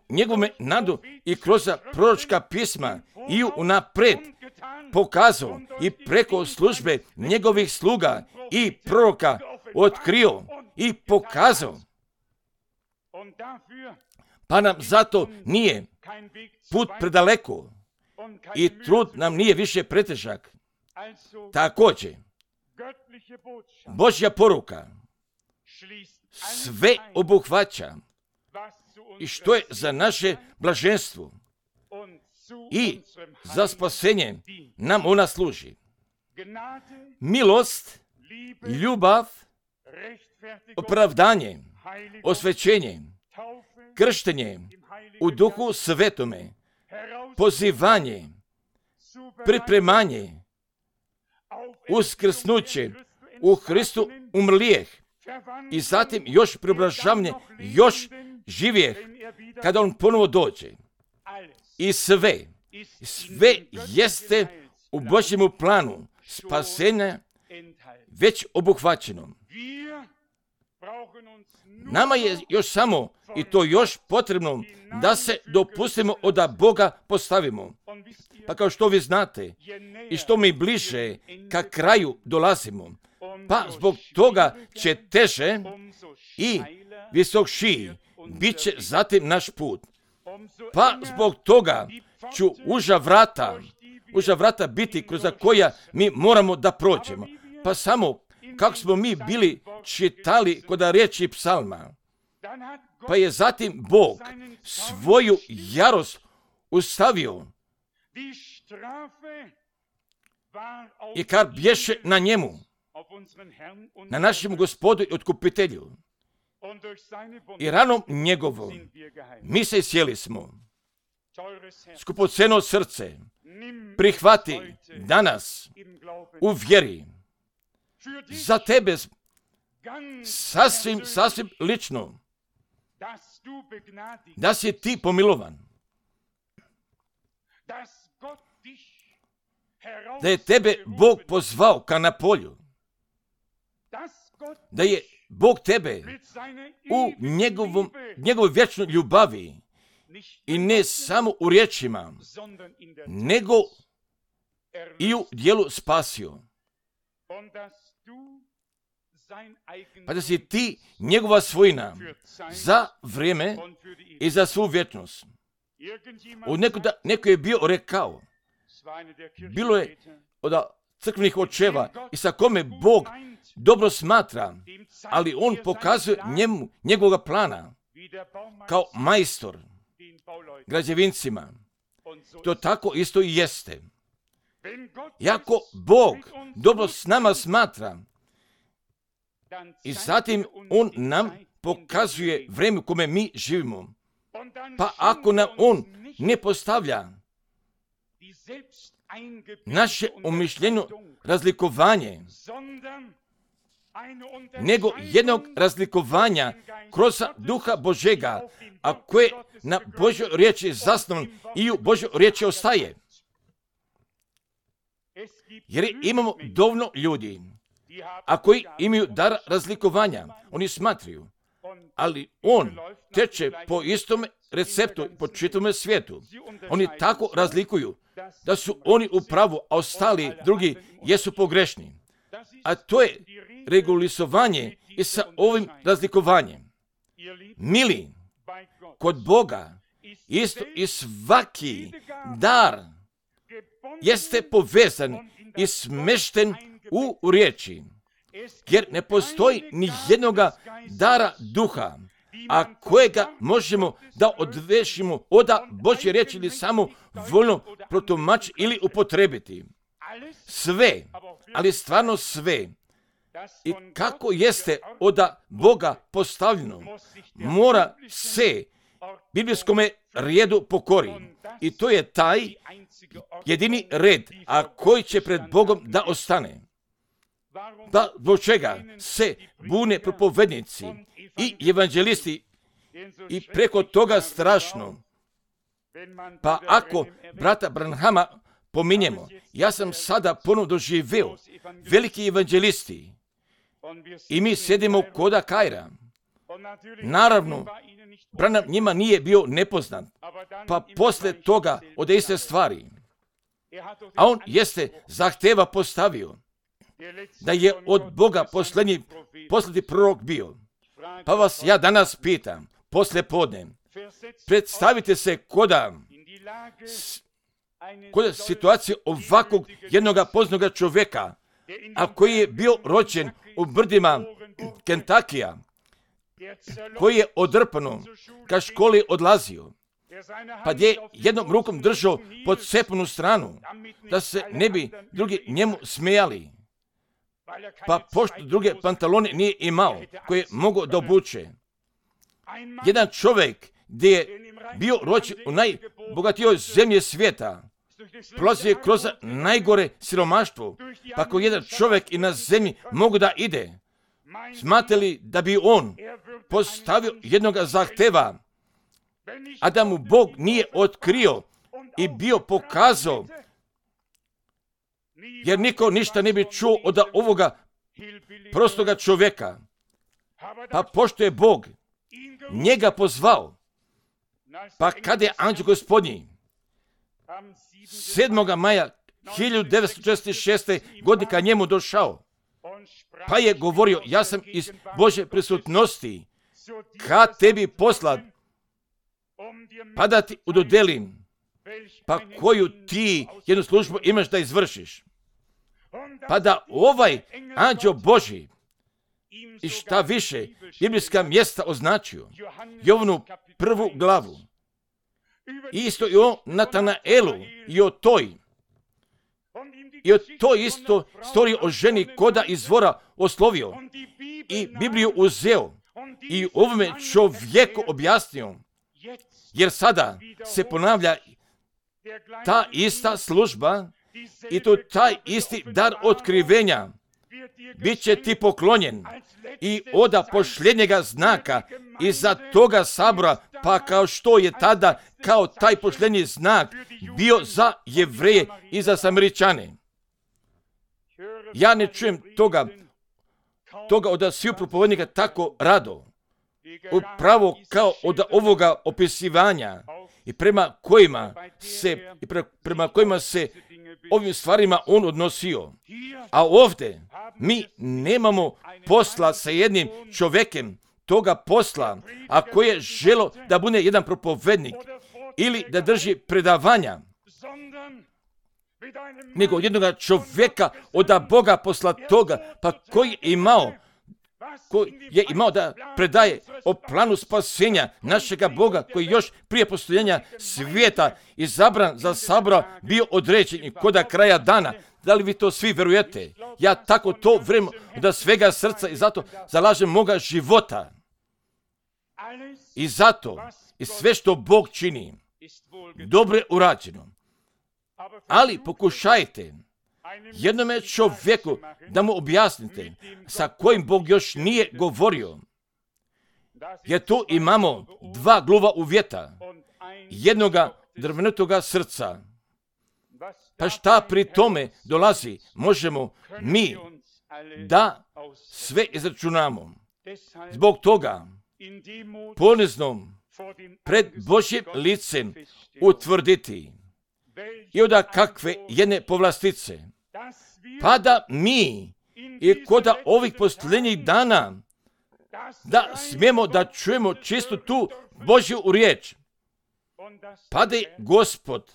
njegovome nadu i kroz proročka pisma i unaprijed pokazao i preko službe njegovih sluga i proroka otkrio i pokazao. Pa nam zato nije put predaleko i trud nam nije više pretežak. Također, Božja poruka sve obuhvaća i što je za naše blaženstvo i za spasenje nam ona služi. Milost, ljubav, opravdanje, osvećenje, krštenje u Duhu Svetome, pozivanje, pripremanje, uskrsnuće u Hristu umrlijeh i zatim još preobražavanje, još živijeh kada on ponovo dođe. I sve jeste u Božjemu planu spasenja već obuhvaćeno. Nama je još samo i to još potrebno da se dopustimo od Boga postavimo. Pa kao što vi znate i što mi bliže ka kraju dolazimo, pa zbog toga će teže i visokšiji bit će zatim naš put. Pa zbog toga ću uža vrata biti kroz koja mi moramo da prođemo. Pa samo kako smo mi bili čitali kod riječi psalma, pa je zatim Bog svoju jarost ustavio i kad bješe na njemu, na našem Gospodu i Otkupitelju. I ranom njegovom mi se sjeli smo. skupoceno srce prihvati danas u vjeri za tebe sasvim lično, da si ti pomilovan, da je tebe Bog pozvao ka na polju, da je Bog tebe u njegovoj vječnoj ljubavi i ne samo u riječima, nego i u djelu spasio. Pa da si ti njegova svojina za vrijeme i za svu vječnost. Neko je bio rekao, bilo je od crkvenih očeva i sa kome Bog dobro smatra, ali on pokazuje njemu njegovog plana kao majstor građevincima. To tako isto i jeste. Jako Bog dobro s nama smatra i zatim on nam pokazuje vrijeme u kome mi živimo. Pa ako nam on ne postavlja naše umišljeno razlikovanje, nego jednog razlikovanja kroz duha Božega, a koje na Božoj riječi zasnovan i u Božoj riječi ostaje. Jer imamo dovoljno ljudi, a koji imaju dar razlikovanja, oni smatraju, ali on teče po istom receptu po čitavom svijetu. Oni tako razlikuju da su oni u pravu, a ostali drugi jesu pogrešni. A to je regulisovanje i sa ovim razlikovanjem. Mili, kod Boga isto i svaki dar jeste povezan i smešten u riječi, jer ne postoji ni jednoga dara duha, a kojega možemo da odvešimo od Božje riječi ili samo voljno protumačiti ili upotrebiti. Sve, ali stvarno sve, i kako jeste od Boga postavljeno, mora se biblijskome redu pokori. I to je taj jedini red, a koji će pred Bogom da ostane. Da, zbog čega se bune propovednici i evanđelisti i preko toga strašno. Pa ako brata Branhama pominjemo, ja sam sada ponovno doživio veliki evanđelisti i mi sjedimo koda Kaira. Naravno, Branham njima nije bio nepoznat, pa posle toga ode iste stvari. A on jeste zahteva postavio da je od Boga posljednji prorok bio. Pa vas ja danas pitam, posle podne, predstavite se koda situacije ovakvog jednoga poznanog čovjeka, a koji je bio rođen u brdima Kentakija, koji je odrpano ka školi odlazio, pa je jednom rukom držao pod cepnu stranu, da se ne bi drugi njemu smijali, pa pošto druge pantalone nije imao koje je mogao da obuče. Jedan čovjek gdje je bio rođen u najbogatijoj zemlji svijeta, prolazio je kroz najgore siromaštvo, pa ako jedan čovjek i na zemlji mogu da ide, smatrali da bi on postavio jednog zahteva, a da mu Bog nije otkrio i bio pokazao, jer niko ništa ne bi čuo od ovoga prostoga čovjeka. Pa pošto je Bog njega pozvao, pa kada je anđeo Gospodnji 7. maja 1946. godine ka njemu došao, pa je govorio, ja sam iz Božje prisutnosti ka tebi poslat, pa da ti udodelim, pa koju ti jednu službu imaš da izvršiš. Pa da ovaj anđeo Božji i šta više biblijska mjesta označio, Jovanu 1. glavu, isto i o Natanaelu i o toj isto storiji o ženi koda izvora oslovio i Bibliju uzeo i ovome čovjeku objasnio, jer sada se ponavlja ta ista služba i to taj isti dar otkrivenja bit će ti poklonjen i oda pošljednjega znaka iza toga sabora, pa kao što je tada kao taj pošljednji znak bio za Jevreje i za Samaričane. Ja ne čujem toga od svih propovednika tako rado, upravo kao od ovoga opisivanja i prema kojima se ovim stvarima on odnosio. A ovdje mi nemamo posla sa jednim čovjekem toga posla, a koji je želo da bude jedan propovednik ili da drži predavanja, nego jednog čovjeka od Boga posla toga, pa koji je imao da predaje o planu spasenja našega Boga, koji još prije postojanja svijeta izabran za sabora bio određen i koda kraja dana. Da li vi to svi verujete? Ja tako to vjerujem da svega srca i zato zalažem moga života. I zato i sve što Bog čini dobro je urađeno. Ali pokušajte jednome čovjeku da mu objasnite sa kojim Bog još nije govorio. Jer tu imamo dva gluva uvjeta, jednoga drvnatoga srca. Pa šta pri tome dolazi? Možemo mi da sve izračunamo. Zbog toga poniznom pred Božjim licem utvrditi i onda kakve jedne povlastice, pa da mi i koda ovih posljednjih dana da smijemo da čujemo čisto tu Božju riječ, pa da je Gospod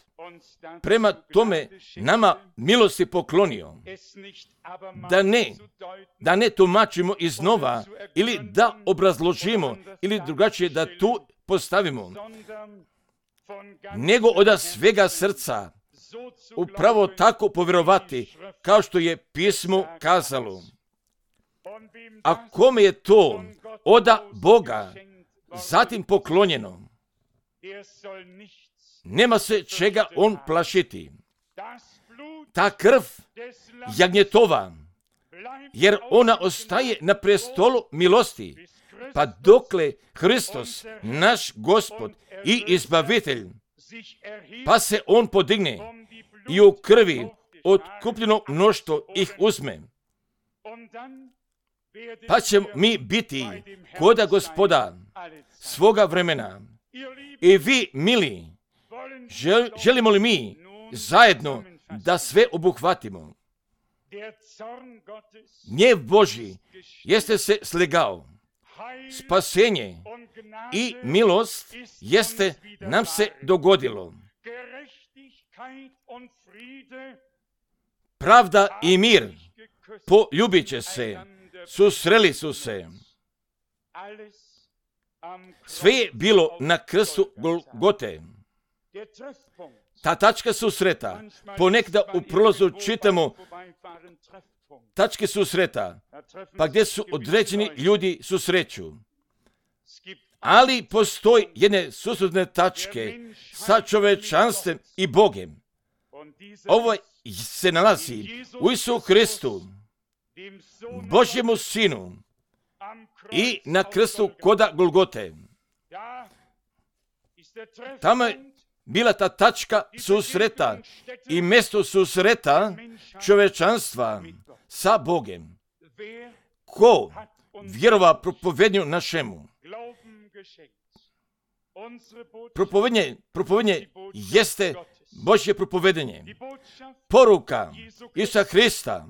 prema tome nama milosti poklonio, da ne tumačimo iznova ili da obrazložimo ili drugačije da tu postavimo, nego od svega srca upravo tako povjerovati kao što je pismo kazalo. A kome je to od Boga zatim poklonjeno, nema se čega on plašiti. Ta krv jagnjetova, jer ona ostaje na prestolu milosti, pa dokle Hristos, naš Gospod i Izbavitelj, pa se on podigne i u krvi otkupljeno mnoštvo ih uzme. Pa ćemo mi biti koda Gospoda svoga vremena. I vi, mili, želimo li mi zajedno da sve obuhvatimo? Gnjev Božji jeste se slegao. Spasenje i milost jeste nam se dogodilo. Pravda i mir poljubit će se, susreli su se. Sve je bilo na krstu Golgote. Ta tačka susreta, ponekda u prolazu čitamo tačke susreta, pa gdje su određeni ljudi susreću. Ali postoji jedne susretne tačke sa čovečanstvom i Bogem. Ovo se nalazi u Isusu Hristu, Božjemu Sinu, i na krstu koda Golgote. Tamo je bila ta tačka susreta i mjesto susreta čovečanstva sa Bogem. Ko vjerova propovednju našemu? Propovednje jeste Božje propovedenje. Poruka Isusa Hrista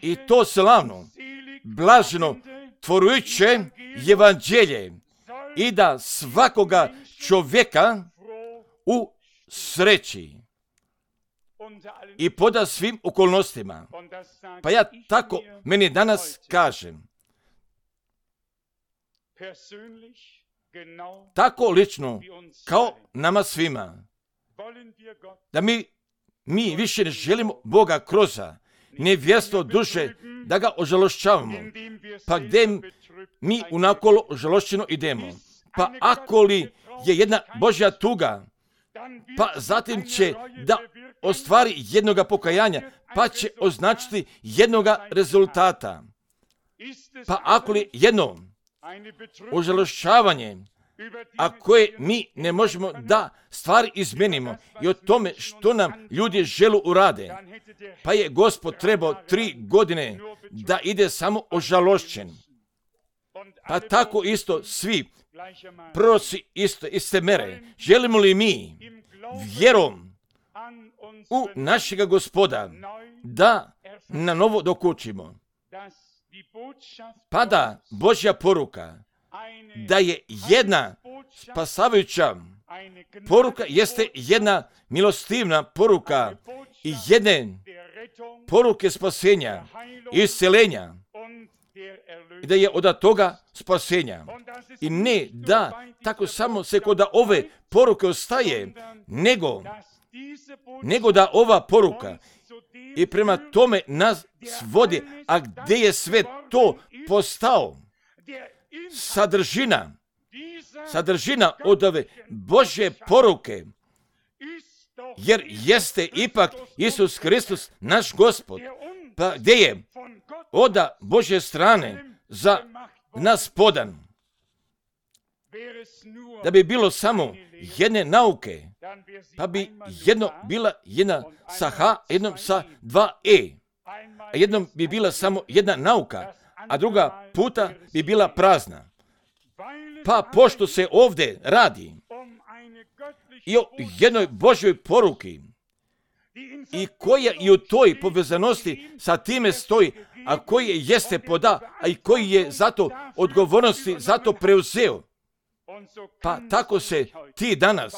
i to slavno, blaženo, tvorujuće evanđelje i da svakoga čovjeka u sreći i poda svim okolnostima. Pa ja tako meni danas kažem, tako lično kao nama svima, da mi više ne želimo Boga kroz nevjerstvo duše, da ga ožalošćavamo, pa gdje mi unakolo ožalošćeno idemo. Pa ako li je jedna Božja tuga, pa zatim će da ostvari jednoga pokajanja, pa će označiti jednoga rezultata. Pa ako li jedno ožalošćavanje, a koje mi ne možemo da stvari izmenimo i o tome što nam ljudi žele urade, pa je Gospod trebao 3 godine da ide samo ožalošćen. Pa tako isto svi proroci iste mere. Želimo li mi vjerom u našega Gospoda da na novo dokučimo? Pada Božja poruka da je jedna spasavajuća poruka, jeste jedna milostivna poruka i jedne poruke spasenja i isceljenja, i da je od toga spasenja. I ne da tako samo se kod ove poruke ostaje, nego da ova poruka i prema tome nas vodi, a gdje je sve to postao sadržina od ove Božje poruke, jer jeste ipak Isus Hristos naš Gospod, pa gdje je od Božje strane za nas podan. Da bi bilo samo jedne nauke, pa bi jedno bila jedna sa H, jednom sa 2 E, a jednom bi bila samo jedna nauka, a druga puta bi bila prazna. Pa pošto se ovdje radi i o jednoj Božjoj poruki, i koja i u toj povezanosti sa time stoji, a koji jeste poda, a i koji je zato odgovornosti zato preuzeo. Pa tako se ti danas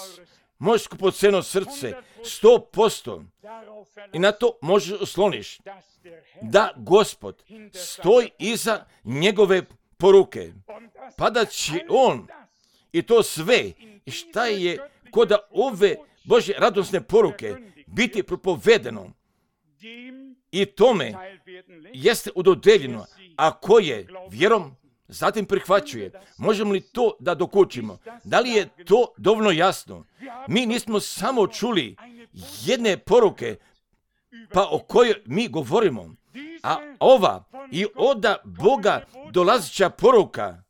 možeš skupoceno srce 100% i na to možeš osloniš da Gospod stoji iza njegove poruke, pa da će on i to sve šta je kod ove Božje radosne poruke biti propovedeno i tome jeste udodeljeno, a koje vjerom zatim prihvaćuje. Možemo li to da dokučimo? Da li je to dovoljno jasno? Mi nismo samo čuli jedne poruke pa o kojoj mi govorimo, a ova i od Boga dolazića poruka,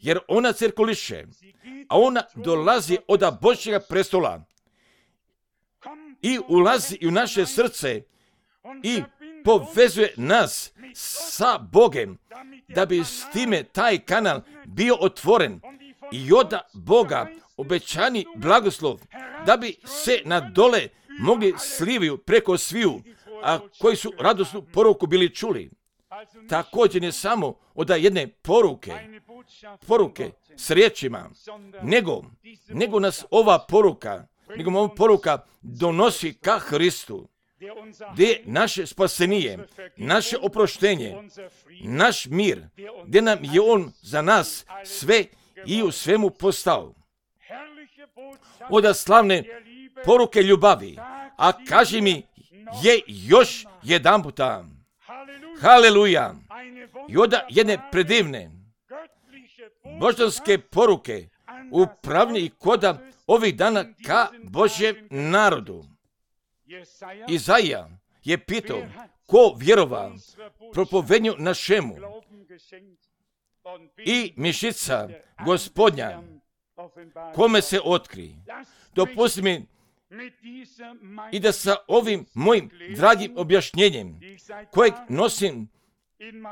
jer ona cirkuliše, a ona dolazi od Božjega prestola i ulazi u naše srce i povezuje nas sa Bogem, da bi s time taj kanal bio otvoren i od Boga obećani blagoslov, da bi se na dole mogli sliviju preko sviju, a koji su radosnu poruku bili čuli. Također ne samo od jedne poruke s riječima, nego nas ova poruka donosi ka Hristu, gdje je naše spasenije, naše oproštenje, naš mir, gdje nam je on za nas sve i u svemu postao. Od slavne poruke ljubavi, a kaži mi je još jedan puta. Haleluja! I od jedne predivne božanske poruke upravlja i koda ovih dana ka Božjem narodu. Izaija je pitao, ko vjerova propovednju našemu, i mišica Gospodnja kome se otkri. Dopusti mi i da sa ovim mojim dragim objašnjenjem, kojeg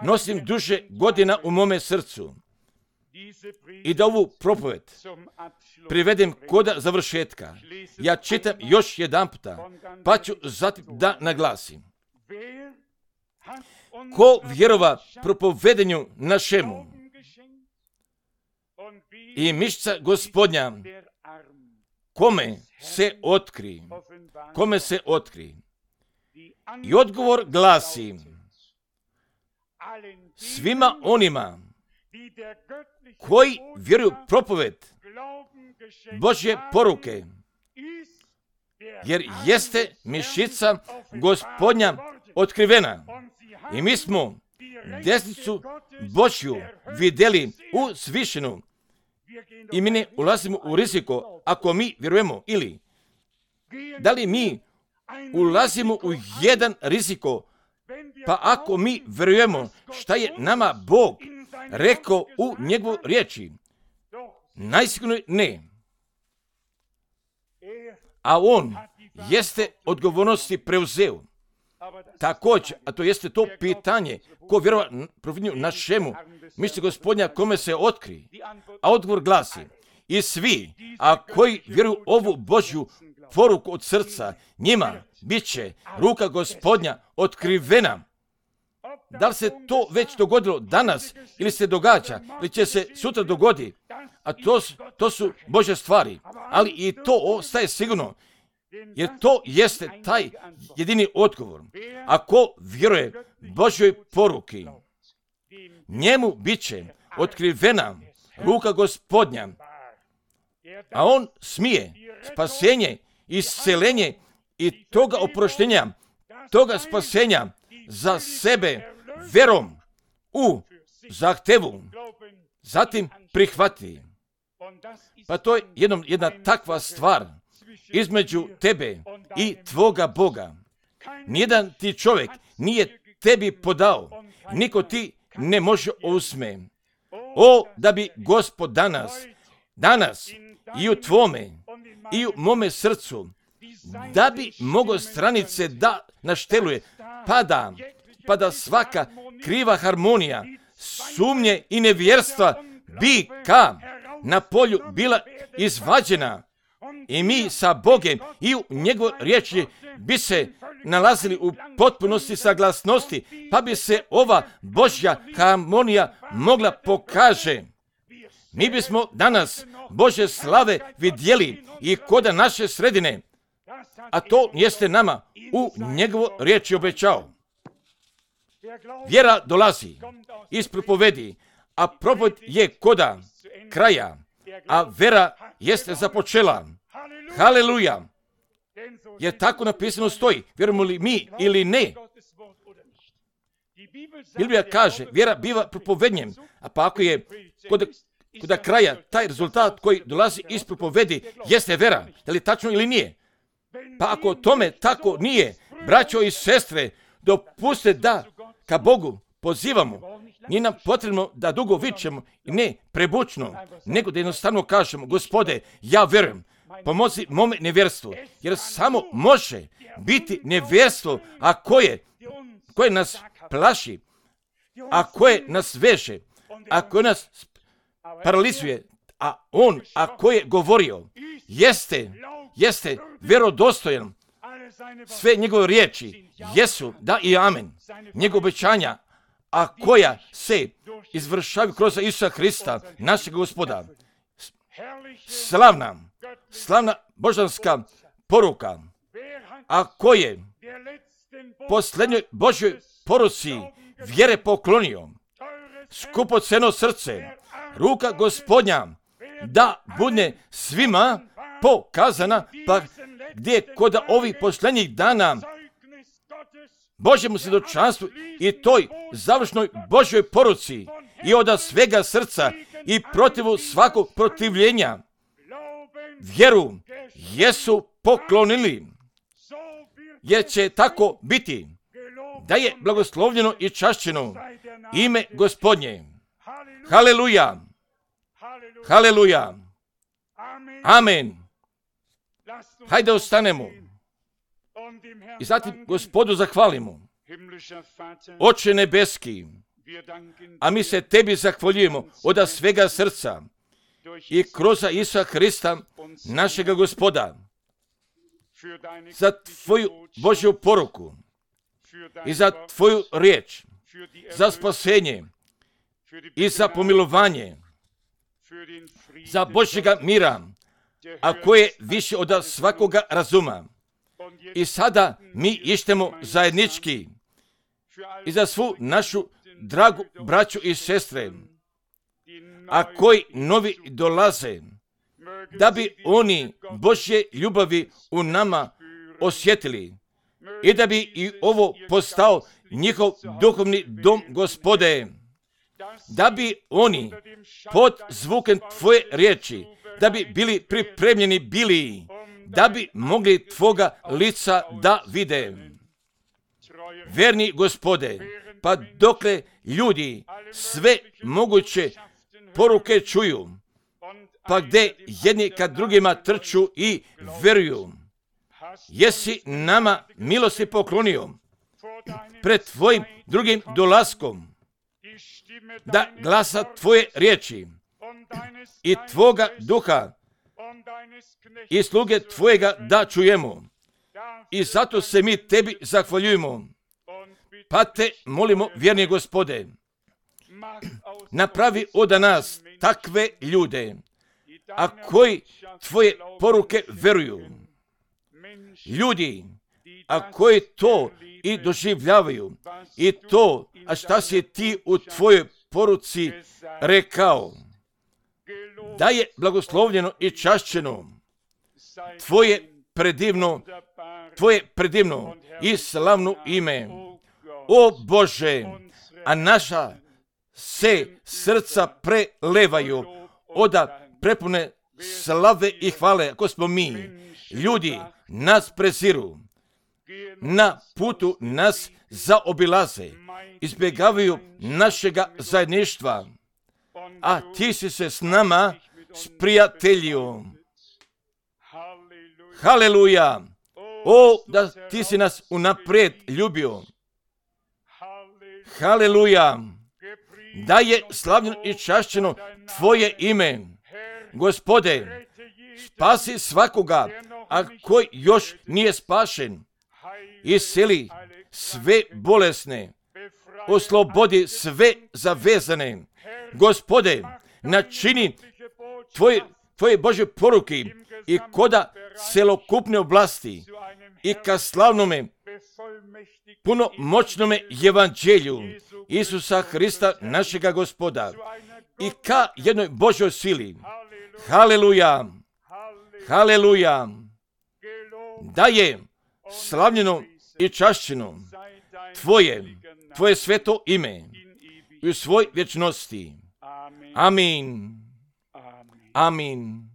nosim duže godina u mome srcu, i da ovu propoved privedem koda završetka. Ja čitam još jedan puta, pa ću zatim da naglasim. Ko vjerova propovedenju našemu i mišica Gospodnja kome se otkri. I odgovor glasi, svima onima koji vjeruju propoved Božje poruke, jer jeste mišica Gospodnja otkrivena. I mi smo desnicu Božju vidjeli u svišenu i mi ne ulazimo u riziko ako mi vjerujemo, ili da li mi ulazimo u jedan riziko, pa ako mi vjerujemo šta je nama Bog rekao u njegovoj riječi? Najsigurnije ne. A on jeste odgovornosti preuzeo. Također, a to jeste to pitanje, ko vjerova providnju našemu, misli Gospodnja kome se otkri. A odgovor glasi, i svi, a koji vjeruju ovu Božju poruku od srca, njima bit će ruka Gospodnja otkrivena. Da li se to već dogodilo danas ili se događa ili će se sutra dogoditi, a to su Božje stvari, ali i to ostaje sigurno, jer to jeste taj jedini odgovor. Ako vjeruje Božjoj poruki, njemu bit će otkrivena ruka Gospodnja, a on smije spasenje, isceljenje i toga oproštenja, toga spasenja za sebe vjerom u zahtevu, zatim prihvati. Pa to je jedna takva stvar između tebe i tvoga Boga. Nijedan ti čovjek nije tebi podao, niko ti ne može uzme. O, da bi Gospod danas i u tvome i u mome srcu, da bi mogo stranice da našteluje, pa da svaka kriva harmonija, sumnje i nevjerstva bi na polju bila izvađena i mi sa Bogem i u njegovoj riječi bi se nalazili u potpunosti saglasnosti, pa bi se ova Božja harmonija mogla pokaže. Mi bismo danas Božje slave vidjeli i koda naše sredine, a to jeste nama u njegovoj riječi obećao. Vjera dolazi iz propovedi, a propoved je koda kraja, a vera jeste započela. Haleluja! Jer tako napisano stoji, vjerujemo li mi ili ne. Biblija kaže, vjera biva propovednjem, a pa ako je kod kraja taj rezultat koji dolazi iz propovedi jeste vera, je li tačno ili nije? Pa ako tome tako nije, braćo i sestre, dopuste da ka Bogu pozivamo. Nije nam potrebno da dugo vičemo i ne prebučno, nego da jednostavno kažemo, Gospode, ja vjerujem, pomozi mome nevjerstvu, jer samo može biti nevjerstvo, a koje nas plaši, a koje nas veže, a koje nas paralizuje, a on, a koje govorio, jeste vjerodostojan. Sve njegove riječi jesu da i amen. Njegove obećanja, a koja se izvršavaju kroz Isusa Hrista, našeg Gospoda. Slavna božanska poruka, a koje posljednjoj Božjoj poruci vjere poklonio, skupoceno srce, ruka Gospodnja, da bude svima pokazana, pa gdje kod ovih posljednjih dana Božjemu svjedočanstvu i toj završnoj Božjoj poruci i od svega srca i protivu svakog protivljenja vjeru jesu poklonili, jer će tako biti da je blagoslovljeno i čašćeno ime Gospodnje. Haleluja! Haleluja! Amen! Hajde ostanemo i zatim Gospodu zahvalimo. Oče nebeski, a mi se tebi zahvaljujemo od svega srca i kroz Isusa Hrista, našega Gospoda, za tvoju Božju poruku i za tvoju riječ, za spasenje i za pomilovanje, za Božjega mira, a koje više od svakoga razuma. I sada mi ištemo zajednički i za svu našu dragu braću i sestre, a koji novi dolaze, da bi oni Božje ljubavi u nama osjetili i da bi i ovo postao njihov duhovni dom Gospode. da bi oni pod zvukem Tvoje riječi, da bi bili pripremljeni bili, da bi mogli Tvoga lica da vide. Verni Gospode, pa dokle ljudi sve moguće poruke čuju, pa gdje jedni kad drugima trču i veruju, jesi nama milosti poklonio pred Tvojim drugim dolaskom, da glasa Tvoje riječi i Tvoga duha i sluge Tvojega da čujemo. I zato se mi Tebi zahvaljujemo. Pa Te molimo, vjerni Gospode, napravi od nas takve ljude, a koji Tvoje poruke veruju. Ljudi, a koji to i doživljavaju, i to, a šta si Ti u Tvojoj poruci rekao, da je blagoslovljeno i čašćeno Tvoje predivno i slavno ime. O Bože, a naša se srca prelevaju oda prepune slave i hvale, ako smo mi. Ljudi nas preziru, na putu nas zaobilaze, izbjegavaju našega zajedništva, a Ti si se s nama sprijateljio. Haleluja! O, da Ti si nas unaprijed ljubio. Haleluja! Da je slavljeno i čašćeno Tvoje ime. Gospode, spasi svakoga, a koji još nije spašen. Isceli sve bolesne, oslobodi sve zavezane. Gospode, načini Tvoje Božje poruke i koda celokupne oblasti i ka slavnome, punomoćnome evanđelju Isusa Hrista, našega Gospoda, i ka jednoj Božoj sili. Haleluja! Haleluja! Da je slavljeno i čašćeno Tvoje sveto ime u svoj vječnosti. Amin. Amin.